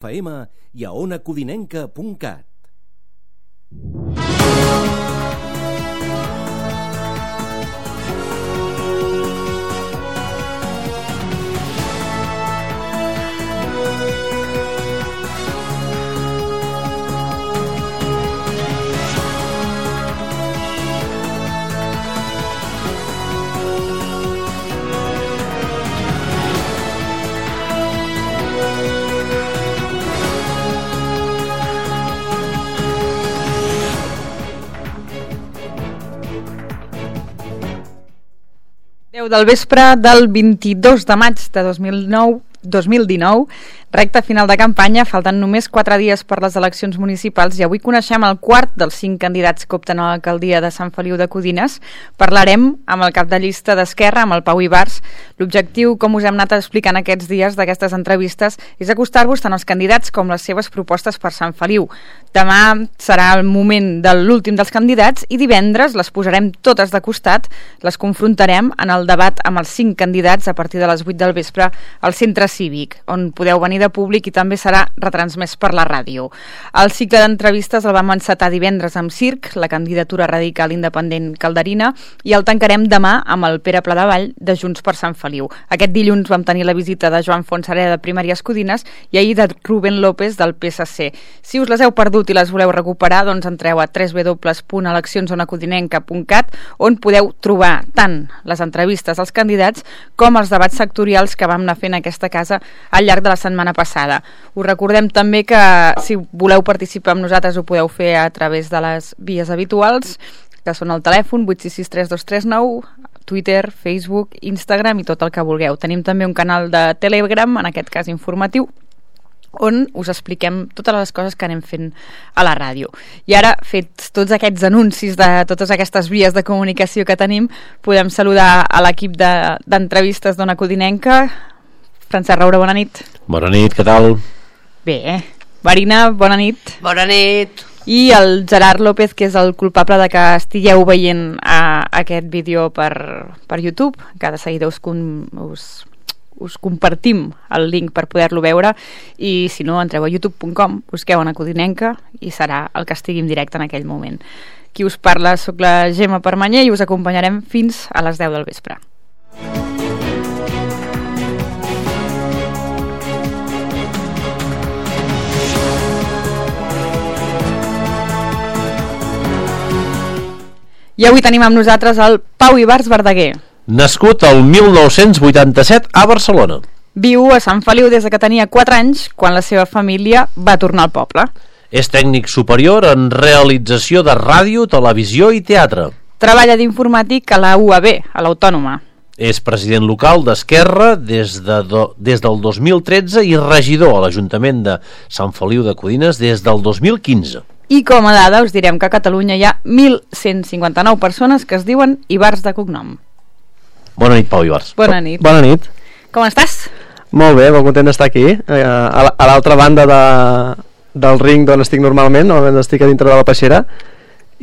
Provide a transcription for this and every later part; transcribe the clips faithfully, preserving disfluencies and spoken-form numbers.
F M i a ona codinenca punt cat. deu del vespre del vint-i-dos de maig de dos mil nou, dos mil dinou, recta final de campanya, falten només quatre dies per les eleccions municipals i avui coneixem el quart dels cinc candidats que opten a l'alcaldia de Sant Feliu de Codines. Parlarem amb el cap de llista d'Esquerra, amb el Pau Ibars. L'objectiu, com us hem anat explicant aquests dies d'aquestes entrevistes, és acostar-vos tant als candidats com les seves propostes per Sant Feliu. Demà serà el moment de l'últim dels candidats i divendres les posarem totes de costat, les confrontarem en el debat amb els cinc candidats a partir de les vuit del vespre al Centre Cívic, on podeu venir de públic i també serà retransmès per la ràdio. El cicle d'entrevistes el vam encetar divendres amb Circ, la candidatura radical independent calderina, i el tancarem demà amb el Pere Pladevall de Junts per Sant Feliu. Aquest dilluns vam tenir la visita de Joan Fonsereda de Primàries Codines i ahir de Rubén López del P S C. Si us les heu perdut i les voleu recuperar, doncs entreu a w w w punt eleccions ona codinenca punt cat, on podeu trobar tant les entrevistes als candidats com els debats sectorials que vam anar fent a aquesta casa al llarg de la setmana passada. Us recordem també que si voleu participar amb nosaltres ho podeu fer a través de les vies habituals, que són el telèfon vuit sis sis tres dos tres nou, Twitter, Facebook, Instagram i tot el que vulgueu. Tenim també un canal de Telegram, en aquest cas informatiu, on us expliquem totes les coses que anem fent a la ràdio. I ara, fets tots aquests anuncis de totes aquestes vies de comunicació que tenim, podem saludar a l'equip de, d'entrevistes d'Ona Codinenca. Francesc Roure, bona nit. Bona nit, què tal? Bé, Marina, bona nit. Bona nit. I el Gerard López, que és el culpable de que estigueu veient a, aquest vídeo per, per YouTube, que de seguida us, us, us compartim el link per poder-lo veure, i si no, entreu a youtube punt com, busqueu Ona Codinenca i serà el que estigui en directe en aquell moment. Qui us parla, soc la Gemma Permanyer i us acompanyarem fins a les deu del vespre. I avui tenim amb nosaltres el Pau Ibars Verdaguer. Nascut el mil nou-cents vuitanta-set a Barcelona. Viu a Sant Feliu des de que tenia quatre anys, quan la seva família va tornar al poble. És tècnic superior en realització de ràdio, televisió i teatre. Treballa d'informàtic a la U A B, a l'Autònoma. És president local d'Esquerra des, de do, des del dos mil tretze i regidor a l'Ajuntament de Sant Feliu de Codines des del dos mil quinze. I com a dada us direm que a Catalunya hi ha mil cent cinquanta-nou persones que es diuen Ibars de cognom. Bona nit, Pau Ibars. Bona nit. Bona nit. Com estàs? Molt bé, molt content d'estar aquí, eh, a l'altra banda de, del ring d'on estic normalment, on estic a dintre de la peixera,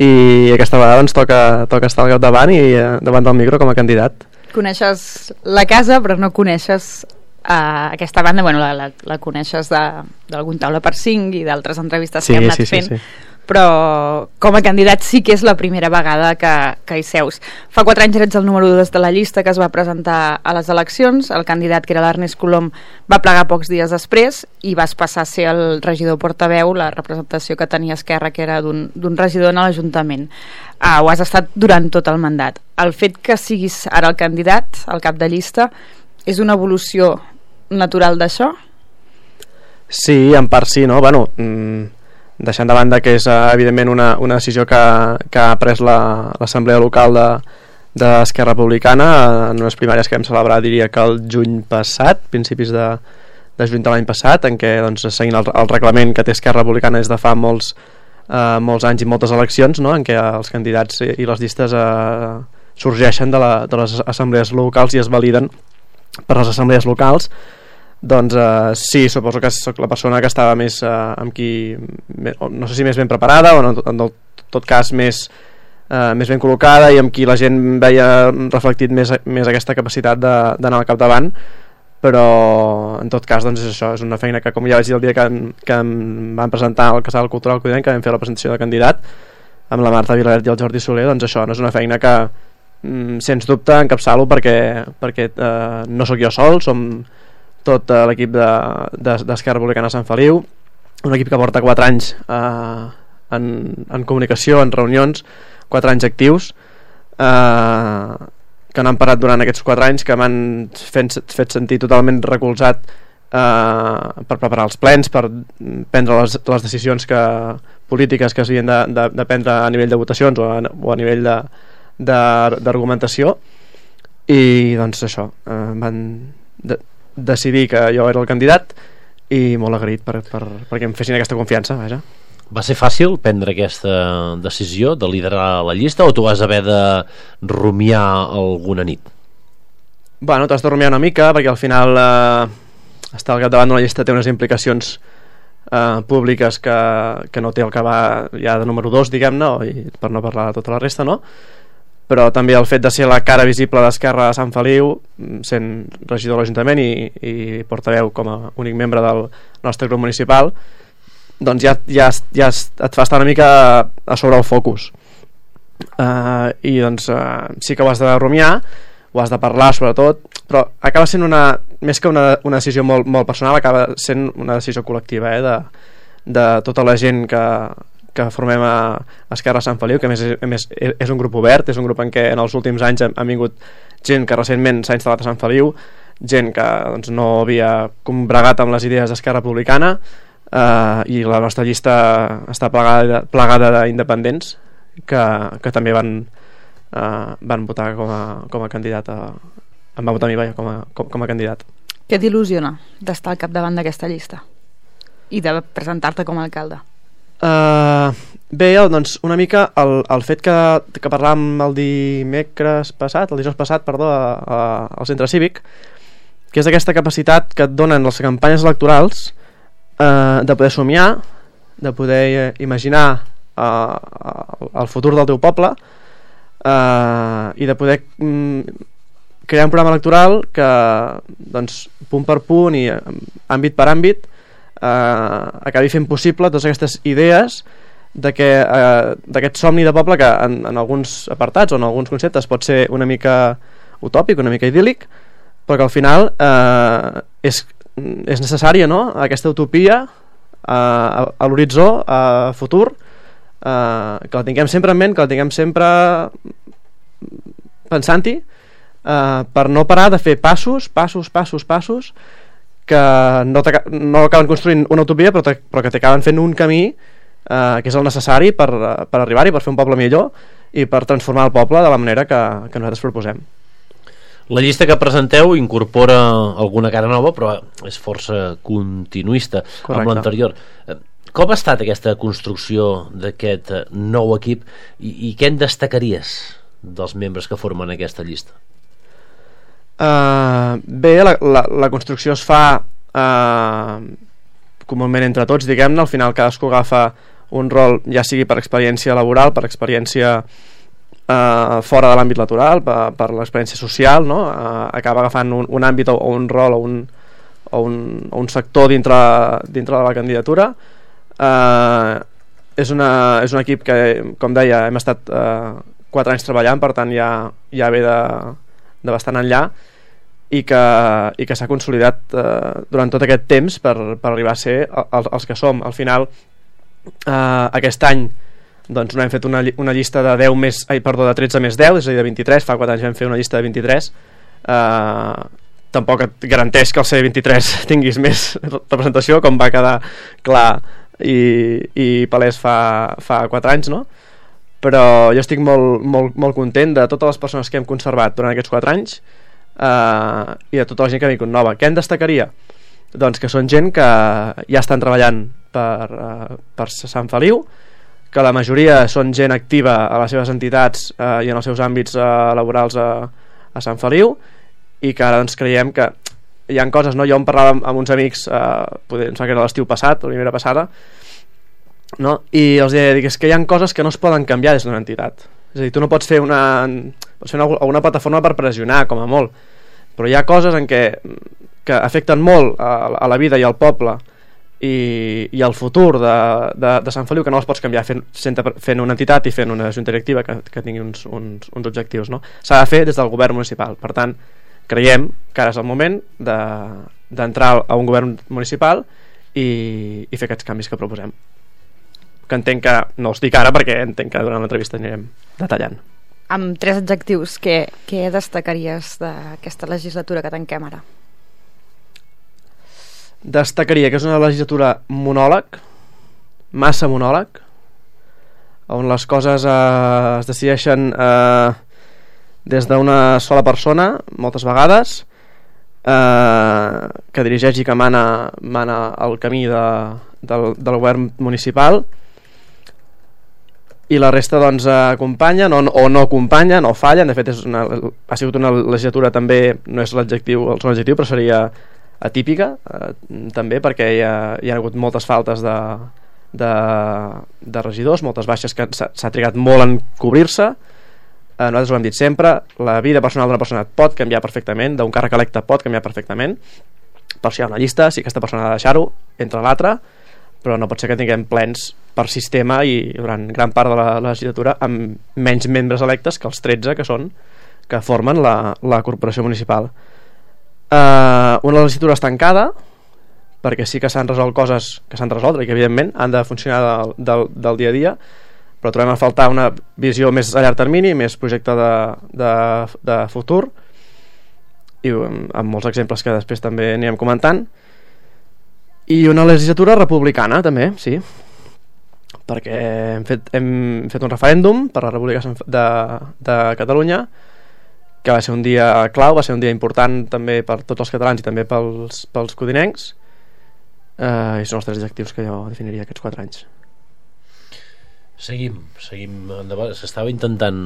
i aquesta vegada ens toca, toca estar al capdavant i eh, davant del micro com a candidat. Coneixes la casa, però no coneixes uh, aquesta banda. Bueno, la, la, la coneixes d'algun taula per cinc i d'altres entrevistes sí, que hem anat sí, sí, fent, sí. Però com a candidat sí que és la primera vegada que, que hi seus. Fa quatre anys ets el número dos de la llista que es va presentar a les eleccions. El candidat, que era l'Ernest Colom, va plegar pocs dies després i vas passar a ser el regidor portaveu, la representació que tenia Esquerra, que era d'un regidor en l'Ajuntament. Uh, ho has estat durant tot el mandat. El fet que siguis ara el candidat, el cap de llista, és una evolució natural d'això? Sí, en part sí, no? Bueno, mmm, deixant de banda que és uh, evidentment una, una decisió que, que ha pres l'Assemblea la, Local de d'Esquerra Republicana en unes primàries que vam celebrar, diria que el juny passat, principis de, de juny de l'any passat, en què, doncs, seguint el, el reglament que té Esquerra Republicana des de fa molts, uh, molts anys i moltes eleccions, no? En què els candidats i, i les llistes uh, sorgeixen de, la, de les assemblees locals i es validen per les assemblees locals. Doncs uh, sí, suposo que sóc la persona que estava més uh, amb qui, no sé si més ben preparada o no, en tot cas més, uh, més ben col·locada i amb qui la gent veia reflectit més, més aquesta capacitat d'anar al capdavant, però en tot cas doncs és això, és una feina que, com ja vaig dir el dia que, que em van presentar al Casal Cultural Codinenc, que vam fer la presentació de candidat amb la Marta Vilavert i el Jordi Soler, doncs això no és una feina que mm, sens dubte encapçalo perquè, perquè eh, no sóc jo sol, som tot eh, l'equip d'Esquerra de, de, Republicana Sant Feliu, un equip que porta quatre anys eh, en, en comunicació, en reunions, quatre anys actius, eh, que no han parat durant aquests quatre anys, que m'han fet, fet sentir totalment recolzat eh, per preparar els plens, per prendre les, les decisions que, polítiques que s'havien de, de, de prendre a nivell de votacions o a, o a nivell d'argumentació, i doncs això, eh, van de, decidir que jo era el candidat, i molt agraït per, per, perquè em fessin aquesta confiança, vaja. Va ser fàcil prendre aquesta decisió de liderar la llista o tu vas haver de rumiar alguna nit? Bueno, t'has de rumiar una mica perquè al final eh, estar al capdavant d'una llista té unes implicacions eh, públiques que, que no té el que va ja de número dos, diguem-ne, i per no parlar de tota la resta, no? Però també el fet de ser la cara visible d'Esquerra a Sant Feliu, sent regidor de l'Ajuntament i, i portaveu com a únic membre del nostre grup municipal, doncs ja, ja, ja et fa estar una mica a sobre el focus, uh, i doncs uh, sí que ho has de rumiar, ho has de parlar sobretot, però acaba sent una, més que una, una decisió molt, molt personal, acaba sent una decisió col·lectiva, eh, de, de tota la gent que, que formem a Esquerra Sant Feliu, que a més, a més és un grup obert, és un grup en què en els últims anys ha vingut gent que recentment s'ha instal·lat a Sant Feliu, gent que doncs, no havia combregat amb les idees d'Esquerra Republicana, Uh, i la nostra llista està plegada, plegada d'independents que, que també van uh, van votar com a, com a candidat a, em va votar a mi, vaja, com a, com, com a candidat. Què t'il·lusiona d'estar al capdavant d'aquesta llista i de presentar-te com a alcalde? Uh, bé, doncs una mica el, el fet que, que parlàvem el dimecres passat, el dijous passat, perdó, a, a, al centre cívic, que és aquesta capacitat que et donen les campanyes electorals, Uh, de poder somiar, de poder uh, imaginar uh, el futur del teu poble, uh, i de poder um, crear un programa electoral que doncs, punt per punt i àmbit per àmbit uh, acabi fent possible totes aquestes idees de que, uh, d'aquest somni de poble que en, en alguns apartats o en alguns conceptes pot ser una mica utòpic, una mica idíl·lic, però que al final uh, és és necessària, no?, aquesta utopia uh, a, a l'horitzó, a futur, uh, que la tinguem sempre en ment, que la tinguem sempre pensant-hi, uh, per no parar de fer passos, passos, passos, passos, que no, no acaben construint una utopia, però, però que t'acaben fent un camí uh, que és el necessari per, per arribar-hi, per fer un poble millor i per transformar el poble de la manera que, que nosaltres proposem. La llista que presenteu incorpora alguna cara nova, però és força continuista. Correcte. Amb l'anterior. Com ha estat aquesta construcció d'aquest nou equip i, i què en destacaries dels membres que formen aquesta llista? Uh, bé, la, la, la construcció es fa uh, comúment entre tots, diguem-ne. Al final cadascú agafa un rol, ja sigui per experiència laboral, per experiència Uh, fora de l'àmbit laboral, per, per l'experiència social, no? Uh, acaba agafant un, un àmbit o, o un rol o un, o un, o un sector dintre, dintre de la candidatura. Uh, és, una, és un equip que, com deia, hem estat uh, quatre anys treballant, per tant ja, ja ve de, de bastant enllà, i que, i que s'ha consolidat uh, durant tot aquest temps per, per arribar a ser els, els que som. Al final, uh, aquest any doncs no hem fet una, una llista de deu més, ai, perdó, de tretze més deu, és a dir, de vint-i-tres. Fa quatre anys vam fer una llista de vint-i-tres. Uh, tampoc et garanteix que el C vint-i-tres tinguis més representació, com va quedar clar i, i palès fa, fa quatre anys, no? Però jo estic molt, molt, molt content de totes les persones que hem conservat durant aquests quatre anys, uh, i de tota la gent que ha vingut nova. Què en destacaria? Doncs que són gent que ja estan treballant per, uh, per Sant Feliu, que la majoria són gent activa a les seves entitats eh, i en els seus àmbits eh, laborals a, a Sant Feliu, i que ara doncs creiem que hi ha coses, no? Jo em parlava amb, amb uns amics, eh, poder, em sembla que era l'estiu passat, la primera passada, no? I els deia, dic, és que hi ha coses que no es poden canviar des d'una entitat. És a dir, tu no pots fer una, pots fer una, una plataforma per pressionar, com a molt, però hi ha coses en què que afecten molt a, a la vida i al poble i, i al futur de, de, de Sant Feliu, que no els pots canviar fent, fent una entitat i fent una junta directiva que, que tingui uns, uns, uns objectius, no? S'ha de fer des del govern municipal. Per tant, creiem que ara és el moment de, d'entrar a un govern municipal i, i fer aquests canvis que proposem, que entenc que no els dic ara perquè entenc que durant l'entrevista anirem detallant. Amb tres adjectius, què, què destacaries d'aquesta legislatura que tanquem ara? Destacaria que és una legislatura monòleg, massa monòleg, on les coses eh, es decideixen eh, des d'una sola persona moltes vegades, eh, que dirigeix i que mana, mana el camí de, del, del govern municipal, i la resta doncs acompanyen o, o no acompanyen o fallen. De fet és una, ha sigut una legislatura també, no és l'adjectiu, el segon adjectiu, però seria atípica eh, també, perquè hi ha, hi ha hagut moltes faltes de, de, de regidors, moltes baixes que s'ha trigat molt en cobrir-se. eh, nosaltres ho hem dit sempre, la vida personal d'una persona pot canviar perfectament, d'un càrrec electe pot canviar perfectament, per si hi ha una llista, si aquesta persona ha de deixar-ho entre l'altra, però no pot ser que tinguem plens per sistema i durant gran part de la, la legislatura amb menys membres electes que els tretze que són, que formen la, la corporació municipal. Uh, una legislatura estancada, perquè sí que s'han resolt coses que s'han resolt i que evidentment han de funcionar del, del, del dia a dia, però trobem a faltar una visió més a llarg termini, més projecte de, de, de futur, i amb molts exemples que després també anirem comentant. I una legislatura republicana també, sí, perquè hem fet, hem fet un referèndum per la República de, de Catalunya, que va ser un dia clau, va ser un dia important també per tots els catalans i també pels, pels codinencs, eh, i són els tres adjectius que jo definiria aquests quatre anys. Seguim, seguim endavant. S'estava intentant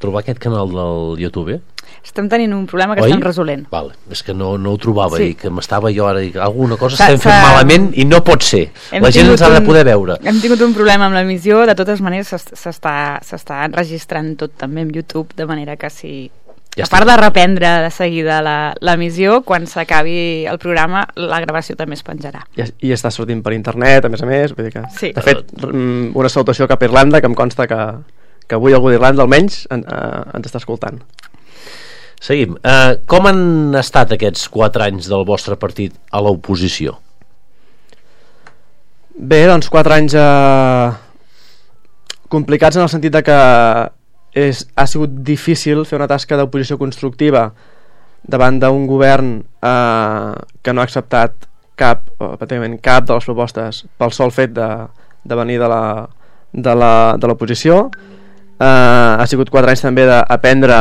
trobar aquest canal del YouTube, eh? Estem tenint un problema que Oi? estem resolent. Vale. És que no, no ho trobava, sí. I que m'estava jo ara, dic, alguna cosa estem fent malament i no pot ser. Hem la gent ens ha de poder veure. Hem tingut un problema amb l'emissió, de totes maneres s'està enregistrant tot també en YouTube, de manera que si... Ja a part de reprendre de seguida l'emissió, quan s'acabi el programa la gravació també es penjarà. I, i està sortint per internet, a més a més, vull dir que... Sí. De fet, una salutació cap a Irlanda, que em consta que, que avui algú d'Irlanda almenys en, uh, ens està escoltant. Seguim. Uh, com han estat aquests quatre anys del vostre partit a l'oposició? Bé, doncs quatre anys uh, complicats en el sentit de que És, ha sigut difícil fer una tasca d'oposició constructiva davant d'un govern eh, que no ha acceptat cap, o, pràcticament cap de les propostes pel sol fet de, de venir de la, de la, de l'oposició. Eh, ha sigut quatre anys també d'aprendre,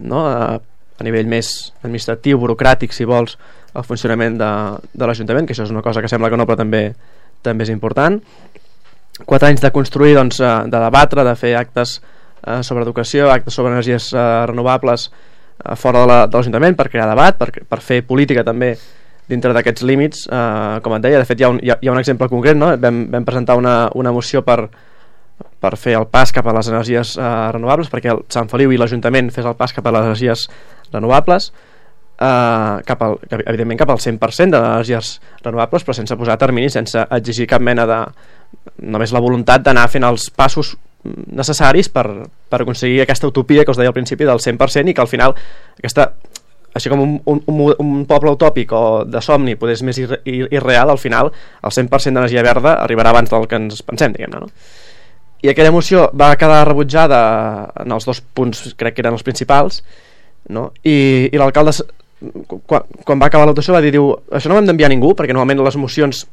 no, a, a nivell més administratiu, burocràtic, si vols, el funcionament de, de l'Ajuntament, que això és una cosa que sembla que no, però també, també és important. Quatre anys de construir, doncs, de debatre, de fer actes sobre educació, actes sobre energies uh, renovables uh, fora de l'Ajuntament, per crear debat, per, per fer política també dintre d'aquests límits, uh, com et deia. De fet hi ha un, hi ha, hi ha un exemple concret, no? vam, vam presentar una, una moció per, per fer el pas cap a les energies uh, renovables, perquè el Sant Feliu i l'Ajuntament fes el pas cap a les energies renovables, uh, cap al, evidentment cap al cent per cent de les energies renovables, però sense posar terminis, sense exigir cap mena de... només la voluntat d'anar fent els passos necessaris per, per aconseguir aquesta utopia que us deia al principi del cent per cent, i que al final aquesta, així com un, un, un poble utòpic o de somni poder és més irre, irreal, al final el cent per cent d'energia verda arribarà abans del que ens pensem, diguem-ne, no? I aquella moció va quedar rebutjada en els dos punts, crec que eren els principals, no? I, i l'alcalde quan, quan va acabar la votació va dir, diu, això no ho hem d'enviar a ningú, perquè normalment les mocions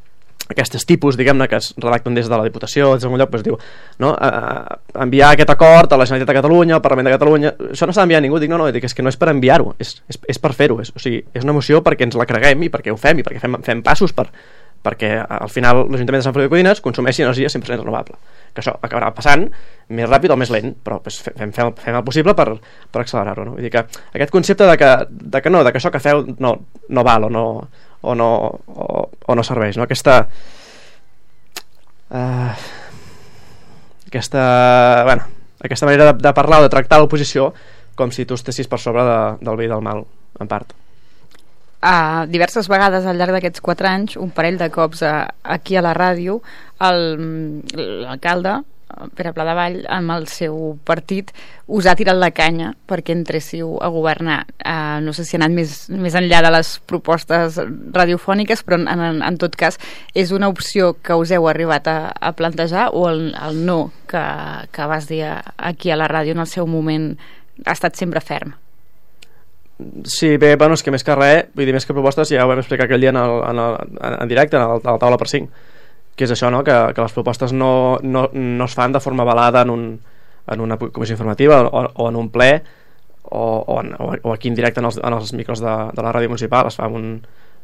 aquests tipus, diguem-ne, que es redacten des de la Diputació o des d'algun lloc, doncs diu, no? Uh, enviar aquest acord a la Generalitat de Catalunya, al Parlament de Catalunya, això no s'ha d'enviar a ningú. Dic, no, no, dic, és que no és per enviar-ho, és, és, és per fer-ho, és, o sigui, és una moció perquè ens la creguem i perquè ho fem i perquè fem, fem passos per, perquè al final l'Ajuntament de Sant Feliu de Codines consumeixi energia cent per cent renovable, que això acabarà passant més ràpid o més lent, però pues, fem, fem, fem el possible per, per accelerar-ho, no? Vull dir que aquest concepte de que, de que no, de que això que feu no, no val o no, o no, o, o no serveix, no? Aquesta Uh, aquesta, bueno, aquesta manera de, de parlar o de tractar l'oposició com si tu estessis per sobre de, del bé i del mal, en part. uh, diverses vegades al llarg d'aquests quatre anys, un parell de cops uh, aquí a la ràdio, l'alcalde, Pere Pladevall, amb el seu partit, us ha tirat la canya perquè entréssiu a governar. Uh, no sé si ha anat més, més enllà de les propostes radiofòniques, però en, en, en tot cas és una opció que us heu arribat a, a plantejar, o el, el no que, que vas dir aquí a la ràdio en el seu moment ha estat sempre ferm? Sí, bé, bueno, és que més que res, vull dir, més que propostes, ja ho vam explicar aquell dia en, el, en, el, en directe, en el, a la taula per cinc, que és això, no? que, que les propostes no, no, no es fan de forma avalada en, un, en una comissió informativa o, o en un ple o, o, en, o aquí en directe en els, en els micros de, de la ràdio municipal. Es fa en, un,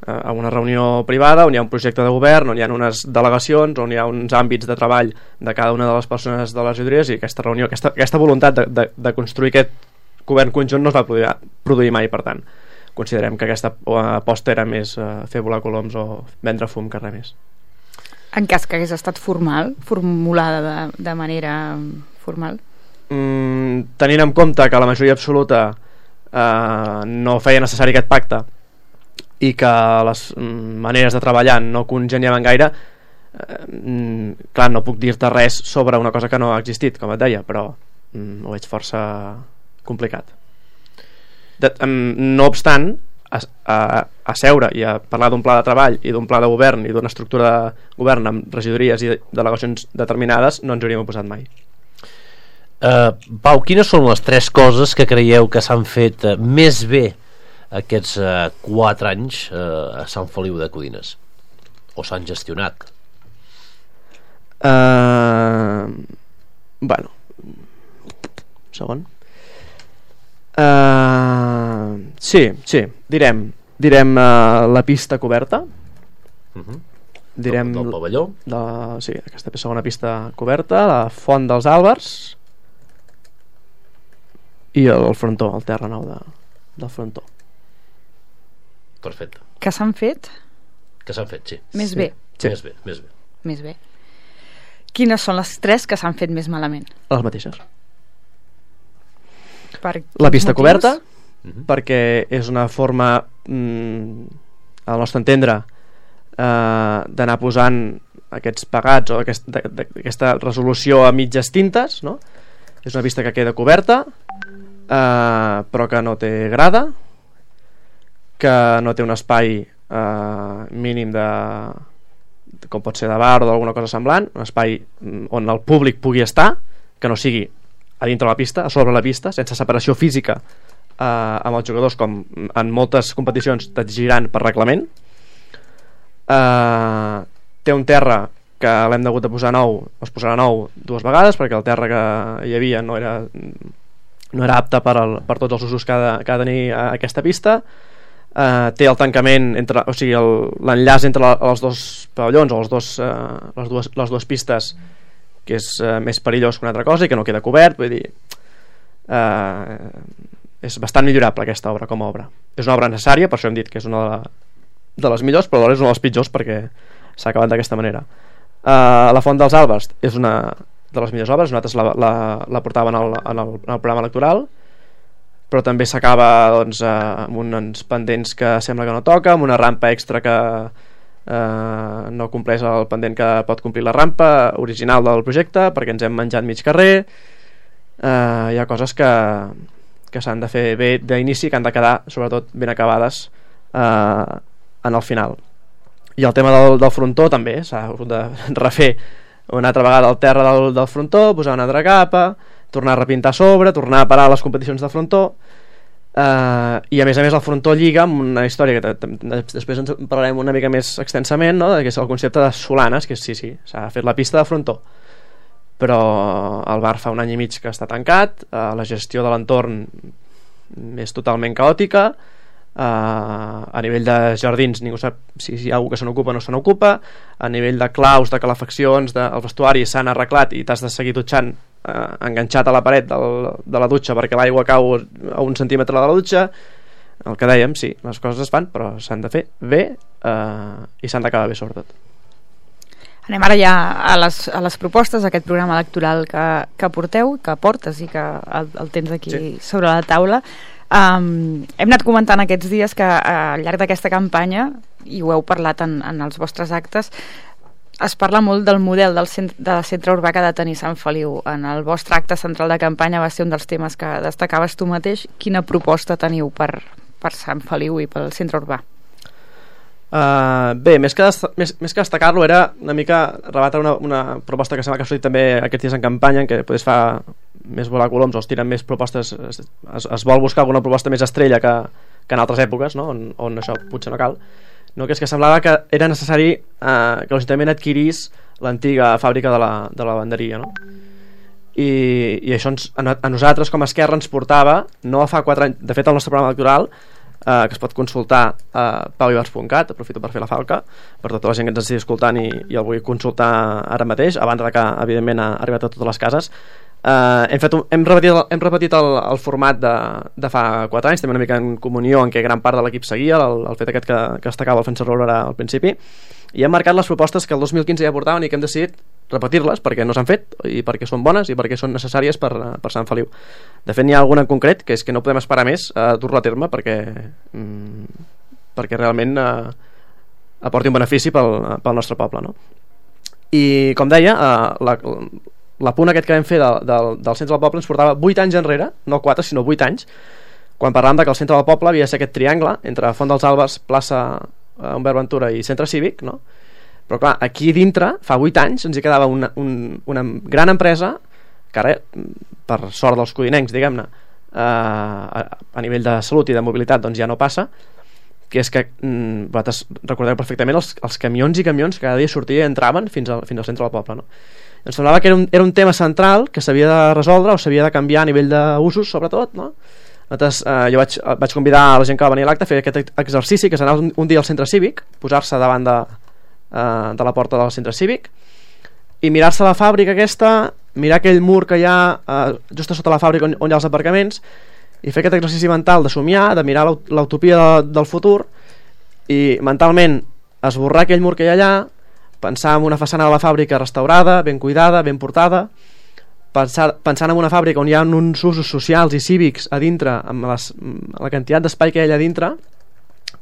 en una reunió privada on hi ha un projecte de govern, on hi ha unes delegacions, on hi ha uns àmbits de treball de cada una de les persones de les regidories, i aquesta reunió, aquesta, aquesta voluntat de, de, de construir aquest govern conjunt no es va produir, produir mai. Per tant, considerem que aquesta aposta era més uh, fer volar coloms o vendre fum que res més. En cas que hagués estat formal, formulada de, de manera formal? Mm, tenint en compte que la majoria absoluta eh, no feia necessari aquest pacte i que les mm, maneres de treballar no congeniaven gaire, eh, mm, clar, no puc dir-te res sobre una cosa que no ha existit, com et deia, però mm, ho veig força complicat. De, mm, no obstant, A, a, a seure i a parlar d'un pla de treball i d'un pla de govern i d'una estructura de govern amb regidories i delegacions determinades no ens hauríem oposat mai. uh, Pau, quines són les tres coses que creieu que s'han fet uh, més bé aquests uh, quatre anys uh, a Sant Feliu de Codines, o s'han gestionat? Uh, bueno segon Uh, sí, sí, direm direm uh, la pista coberta, uh-huh. direm del, del pavelló de, sí, aquesta segona pista coberta, la font dels Àlbers i el, el frontó, el terra nou de, del frontó. Perfecte. Que s'han fet? Que s'han fet, sí. Més sí. bé. Sí. Més bé, més bé. Més bé. Quines són les tres que s'han fet més malament? Les mateixes. Per la pista motius? coberta, uh-huh. perquè és una forma, mm, al nostre entendre, eh, d'anar posant aquests pagats o aquest, de, de, aquesta resolució a mitges tintes, no? És una pista que queda coberta, eh, però que no té grada, que no té un espai eh, mínim de, com pot ser de bar o d'alguna cosa semblant, un espai on el públic pugui estar, que no sigui a dintre la pista, a sobre la pista, sense separació física eh, amb els jugadors, com en moltes competicions t'exigiran per reglament. Eh, té un terra que l'hem hagut de posar nou, es posarà nou dues vegades, perquè el terra que hi havia no era, no era apte per, el, per tots els usos que ha de, que ha de tenir aquesta pista. Eh, té el tancament entre, o sigui, l'enllaç entre la, els dos pavellons o els dos, eh, les, dues, les dues pistes, que és eh, més perillós que una altra cosa i que no queda cobert. Vull dir, eh, és bastant millorable aquesta obra com a obra. És una obra necessària, per això hem dit que és una de, la, de les millors, però alhora és una de les pitjors perquè s'ha acabat d'aquesta manera. eh, La Font dels Àlbers és una de les millors obres, nosaltres la, la, la portàvem en el, en, el, en el programa electoral, però també s'acaba doncs, eh, amb uns pendents que sembla que no toca, amb una rampa extra que Uh, no compleix el pendent que pot complir la rampa original del projecte, perquè ens hem menjat mig carrer. Uh, hi ha coses que, que s'han de fer bé d'inici, que han de quedar sobretot ben acabades uh, en el final. I el tema del, del frontó també s'ha hagut de refer una altra vegada el terra del, del frontó, posar una altra capa, tornar a repintar a sobre, tornar a parar les competicions de frontó. Uh, i a més a més el frontó lliga amb una història que després ens parlarem una mica més extensament, no? Que és el concepte de solanes, que sí, sí, s'ha fet la pista de frontó, però el bar fa un any i mig que està tancat, uh, la gestió de l'entorn és totalment caòtica, uh, a nivell de jardins ningú sap si hi ha algú que se n'ocupa o no se n'ocupa, a nivell de claus, de calefaccions, de, els vestuaris s'han arreglat i t'has de seguir dutxant Uh, enganxat a la paret del, de la dutxa perquè l'aigua cau a un centímetre de la dutxa. El que dèiem, sí, les coses es fan, però s'han de fer bé uh, i s'han d'acabar bé sobretot. Anem ara ja a les, a les propostes d'aquest programa electoral que, que porteu, que portes i que el, el tens aquí sí. sobre la taula. Um, hem anat comentant aquests dies que uh, al llarg d'aquesta campanya, i ho heu parlat en, en els vostres actes, es parla molt del model del centre, del centre urbà que ha de tenir Sant Feliu. En el vostre acte central de campanya va ser un dels temes que destacaves tu mateix. Quina proposta teniu per, per Sant Feliu i pel centre urbà? Uh, bé, més que, més, més que destacar-lo era una mica rebatre una, una proposta que sembla que ha sortit també aquests dies en campanya, en què es fa més volar coloms o es tiren més propostes, es, es, es vol buscar alguna proposta més estrella que, que en altres èpoques, no? on, on això potser no cal, no? Que és que semblava que era necessari eh, que l'Ajuntament adquirís l'antiga fàbrica de la, de la lavanderia, no? I, i això ens, a, a nosaltres com a Esquerra ens portava no fa quatre anys, de fet el nostre programa electoral eh, que es pot consultar a pauibars punt cat, aprofito per fer la falca per tota la gent que ens estigui escoltant i, i el vull consultar ara mateix, abans de que evidentment ha arribat a totes les cases. Uh, hem, fet un, hem repetit, el, hem repetit el, el format de, de fa quatre anys, també una mica en comunió en què gran part de l'equip seguia el, el fet aquest que, que destacava el Francesc Roura al principi, i hem marcat les propostes que el dos mil quinze ja portaven i que hem decidit repetir-les perquè no s'han fet i perquè són bones i perquè són necessàries per, per Sant Feliu. De fet n'hi ha alguna en concret que és que no podem esperar més a dur-la a terme perquè, mm, perquè realment uh, aporti un benefici pel, pel nostre poble, no? I com deia, uh, la, la punt aquest que vam fer del, del, del centre del poble ens portava vuit anys enrere, no quatre sinó vuit anys, quan parlàvem de que el centre del poble havia de ser aquest triangle entre Font dels Àlbers, plaça eh, Humbert Ventura i centre cívic, no? Però clar, aquí dintre fa vuit anys ens hi quedava una, un, una gran empresa que ara, per sort dels codinencs, diguem-ne, eh, a, a nivell de salut i de mobilitat doncs ja no passa, que és que mm, vosaltres recordeu perfectament els, els camions i camions que cada dia sortien i entraven fins al, fins al centre del poble, no? Ens semblava que era un, era un tema central que s'havia de resoldre o s'havia de canviar a nivell d'usos, sobretot, no? Nosaltres, eh, jo vaig, vaig convidar a la gent que va venir a l'acte a fer aquest exercici, que és anar un, un dia al centre cívic, posar-se davant de, eh, de la porta del centre cívic i mirar-se la fàbrica aquesta, mirar aquell mur que hi ha eh, just a sota la fàbrica on, on hi ha els aparcaments, i fer aquest exercici mental de somiar, de mirar l'utopia de, del futur i mentalment esborrar aquell mur que hi ha allà, pensar en una façana de la fàbrica restaurada, ben cuidada, ben portada, pensar, pensant en una fàbrica on hi ha uns usos socials i cívics a dintre, amb les, la quantitat d'espai que hi ha allà dintre,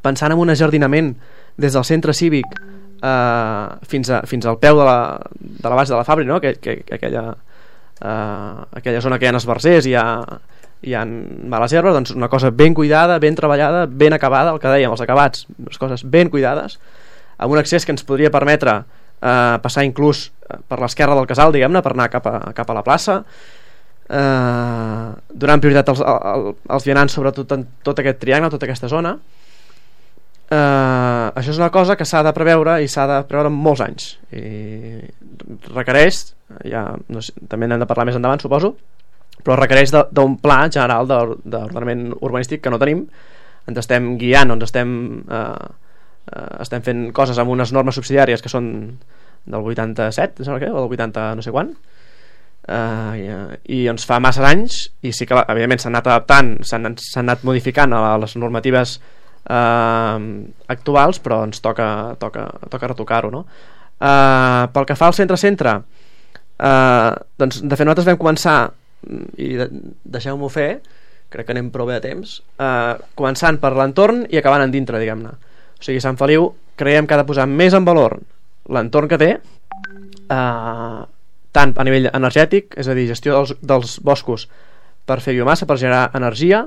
pensant en un ajardinament des del centre cívic eh, fins, a, fins al peu de la, de la base de la fàbrica, no? que, que, que aquella, eh, aquella zona que hi ha esbarzers i hi ha, hi ha males herbes, doncs una cosa ben cuidada, ben treballada, ben acabada, el que dèiem, els acabats, les coses ben cuidades, amb un accés que ens podria permetre eh, passar inclús per l'esquerra del casal, diguem-ne, per anar cap a, cap a la plaça, eh, donant prioritat als, als, als vianants sobre tot, tot aquest triangle, tota aquesta zona. Eh, això és una cosa que s'ha de preveure i s'ha de preveure en molts anys i requereix, ja, no sé, també n'hem de parlar més endavant suposo, però requereix d'un pla general d'ordenament urbanístic que no tenim, ens estem guiant, ens estem eh, Uh, estem fent coses amb unes normes subsidiàries que són del vuitanta-set, o del vuitanta no sé quan, uh, i, i ens fa massa anys i sí que evidentment s'han anat adaptant, s'han anat modificant a les normatives uh, actuals, però ens toca, toca, toca retocar-ho, no? Uh, pel que fa al centre-centre, uh, doncs de fet nosaltres vam començar, i de, deixeu-m'ho fer, crec que anem prou bé a temps, uh, començant per l'entorn i acabant en dintre, diguem-ne. O sigui, Sant Feliu creiem que ha de posar més en valor l'entorn que té, eh, tant a nivell energètic, és a dir, gestió dels, dels boscos per fer biomassa, per generar energia,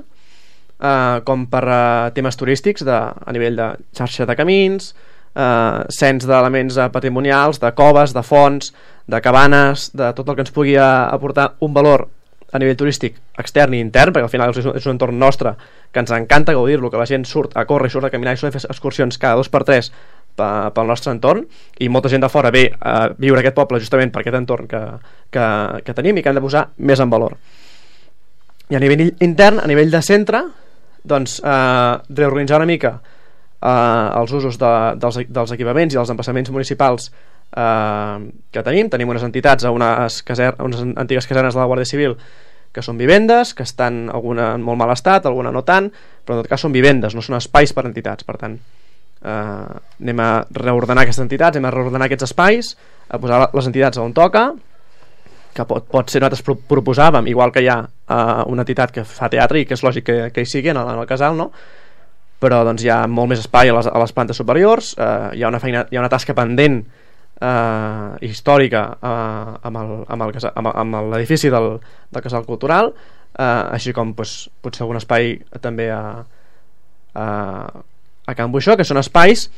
eh, com per eh, temes turístics de, a nivell de xarxa de camins, eh, cens d'elements patrimonials, de coves, de fonts, de cabanes, de tot el que ens pugui aportar un valor a nivell turístic extern i intern, perquè al final és un, és un entorn nostre que ens encanta gaudir-lo, que la gent surt a córrer, surt a caminar i surt a fer excursions cada dos per tres pel nostre entorn, i molta gent de fora ve a viure aquest poble justament per aquest entorn que, que, que tenim i que hem de posar més en valor. I a nivell intern, a nivell de centre, doncs eh, reorganitzar una mica eh, els usos de, dels, dels equipaments i dels emplaçaments municipals eh, que tenim. Tenim unes entitats a unes, caser, unes antigues casernes de la Guàrdia Civil que són vivendes, que estan alguna en molt mal estat, alguna no tant, però en tot cas són vivendes, no són espais per entitats. Per tant, eh, anem a reordenar aquestes entitats, anem a reordenar aquests espais, a posar les entitats on toca, que pot, pot ser, nosaltres pro proposàvem, igual que hi ha uh, una entitat que fa teatre i que és lògic que, que hi sigui en el, en el casal, no? Però doncs hi ha molt més espai a les, a les plantes superiors, uh, hi ha una feina, hi ha una tasca pendent uh, històrica uh, amb el, amb el, amb, amb l'edifici del, del casal cultural, uh, així com pues, potser algun espai també a, a, a Can Buixó, que són espais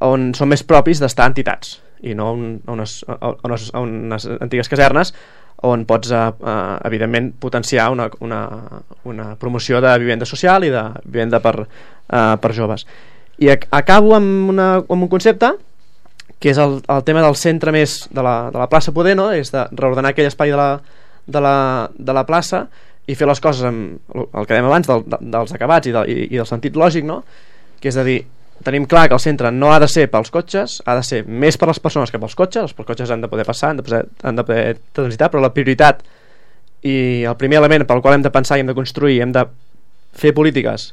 on són més propis d'estar entitats i no on, a, unes, a, unes, a unes antigues casernes on pots uh, uh, evidentment potenciar una, una, una promoció de vivenda social i de vivenda per, uh, per joves. I ac acabo amb, una, amb un concepte que és el, el tema del centre més de la, de la plaça poder, no? És de reordenar aquell espai de la, de la, de la plaça i fer les coses amb el que dèiem abans del, de, dels acabats i, de, i, i del sentit lògic, no? Que és de dir, tenim clar que el centre no ha de ser pels cotxes, ha de ser més per les persones que pels cotxes. Els cotxes han de poder passar, han de poder, han de poder transitar, però la prioritat i el primer element pel qual hem de pensar i hem de construir, hem de fer polítiques,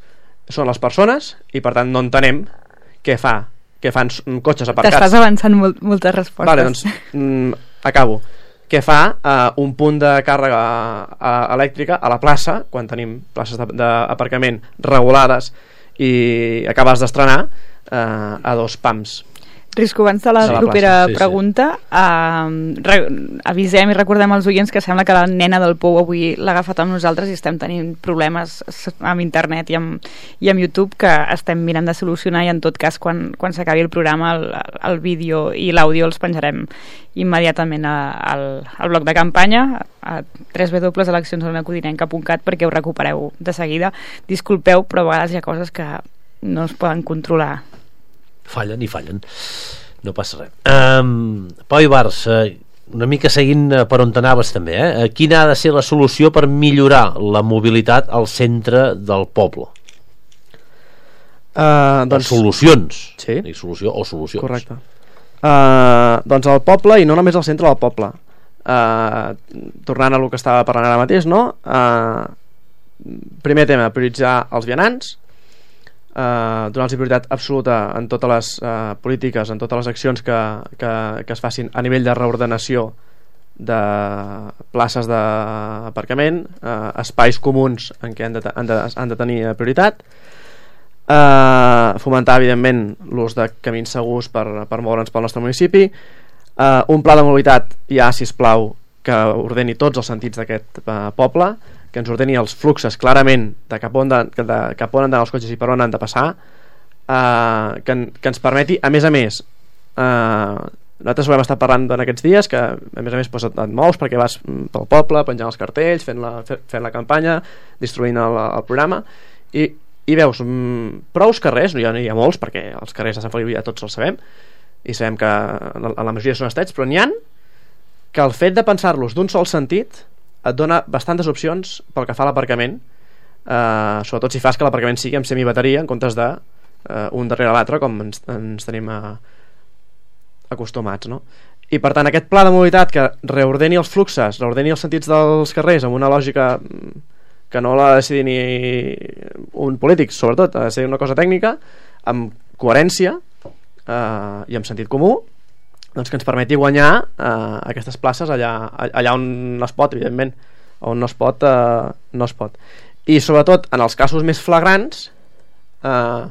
són les persones, i per tant no entenem què fa, què fan cotxes aparcats. T'estàs avançant molt, moltes respostes. Vale, doncs mm, acabo. Què fa uh, un punt de càrrega uh, elèctrica a la plaça, quan tenim places d'aparcament regulades i acabes d'estrenar eh, a dos pams. Risco, abans de la, de la propera plaça, sí, pregunta sí. Eh, re, avisem i recordem als oients que sembla que la nena del Pou avui l'ha agafat amb nosaltres i estem tenint problemes amb internet i amb, i amb YouTube que estem mirant de solucionar, i en tot cas quan, quan s'acabi el programa el, el vídeo i l'àudio els penjarem immediatament a, al, al bloc de campanya a w w w punt eleccions a una codinenca punt cat perquè ho recupereu de seguida. Disculpeu, però a vegades hi ha coses que no es poden controlar. Fallen i fallen, no passa res. um, Pau Ibars, uh, una mica seguint uh, per on t'anaves també, eh? Quina ha de ser la solució per millorar la mobilitat al centre del poble? Uh, doncs... Solucions, sí. I solució o solucions. Correcte. Uh, doncs al poble, i no només al centre del poble, uh, tornant a lo que estava parlant ara mateix, no? Uh, primer tema, prioritzar els vianants, Uh, donar-los prioritat absoluta en totes les uh, polítiques, en totes les accions que, que, que es facin a nivell de reordenació de places d'aparcament, uh, espais comuns en què han de, han de, han de tenir prioritat, uh, fomentar evidentment l'ús de camins segurs per, per moure'ns pel nostre municipi, uh, un pla de mobilitat ja, sisplau, que ordeni tots els sentits d'aquest uh, poble, que ens ordeni els fluxes clarament de cap on, de, de, cap on han d'anar els cotxes i per on han de passar, eh, que, que ens permeti, a més a més, eh, nosaltres ho hem estat parlant en aquests dies, que a més a més pues, et, et mous perquè vas pel poble penjant els cartells, fent la, fent la campanya, distribuint el, el programa, i, i veus mm, prous carrers, no hi, ha, no hi ha molts perquè els carrers de Sant Feliu ja tots els sabem i sabem que en la majoria són estrets, però n'hi ha que el fet de pensar-los d'un sol sentit et dona bastantes opcions pel que fa a l'aparcament, eh, sobretot si fas que l'aparcament sigui amb semibateria en comptes de eh, un darrere l'altre com ens, ens tenim eh, acostumats, no? I per tant aquest pla de mobilitat que reordeni els fluxes, reordeni els sentits dels carrers amb una lògica que no l'ha de decidir ni un polític, sobretot ha de ser una cosa tècnica, amb coherència eh, i amb sentit comú, doncs que ens permeti guanyar eh, aquestes places allà, allà on es pot, evidentment, on no es pot, eh, no es pot. I sobretot en els casos més flagrants eh,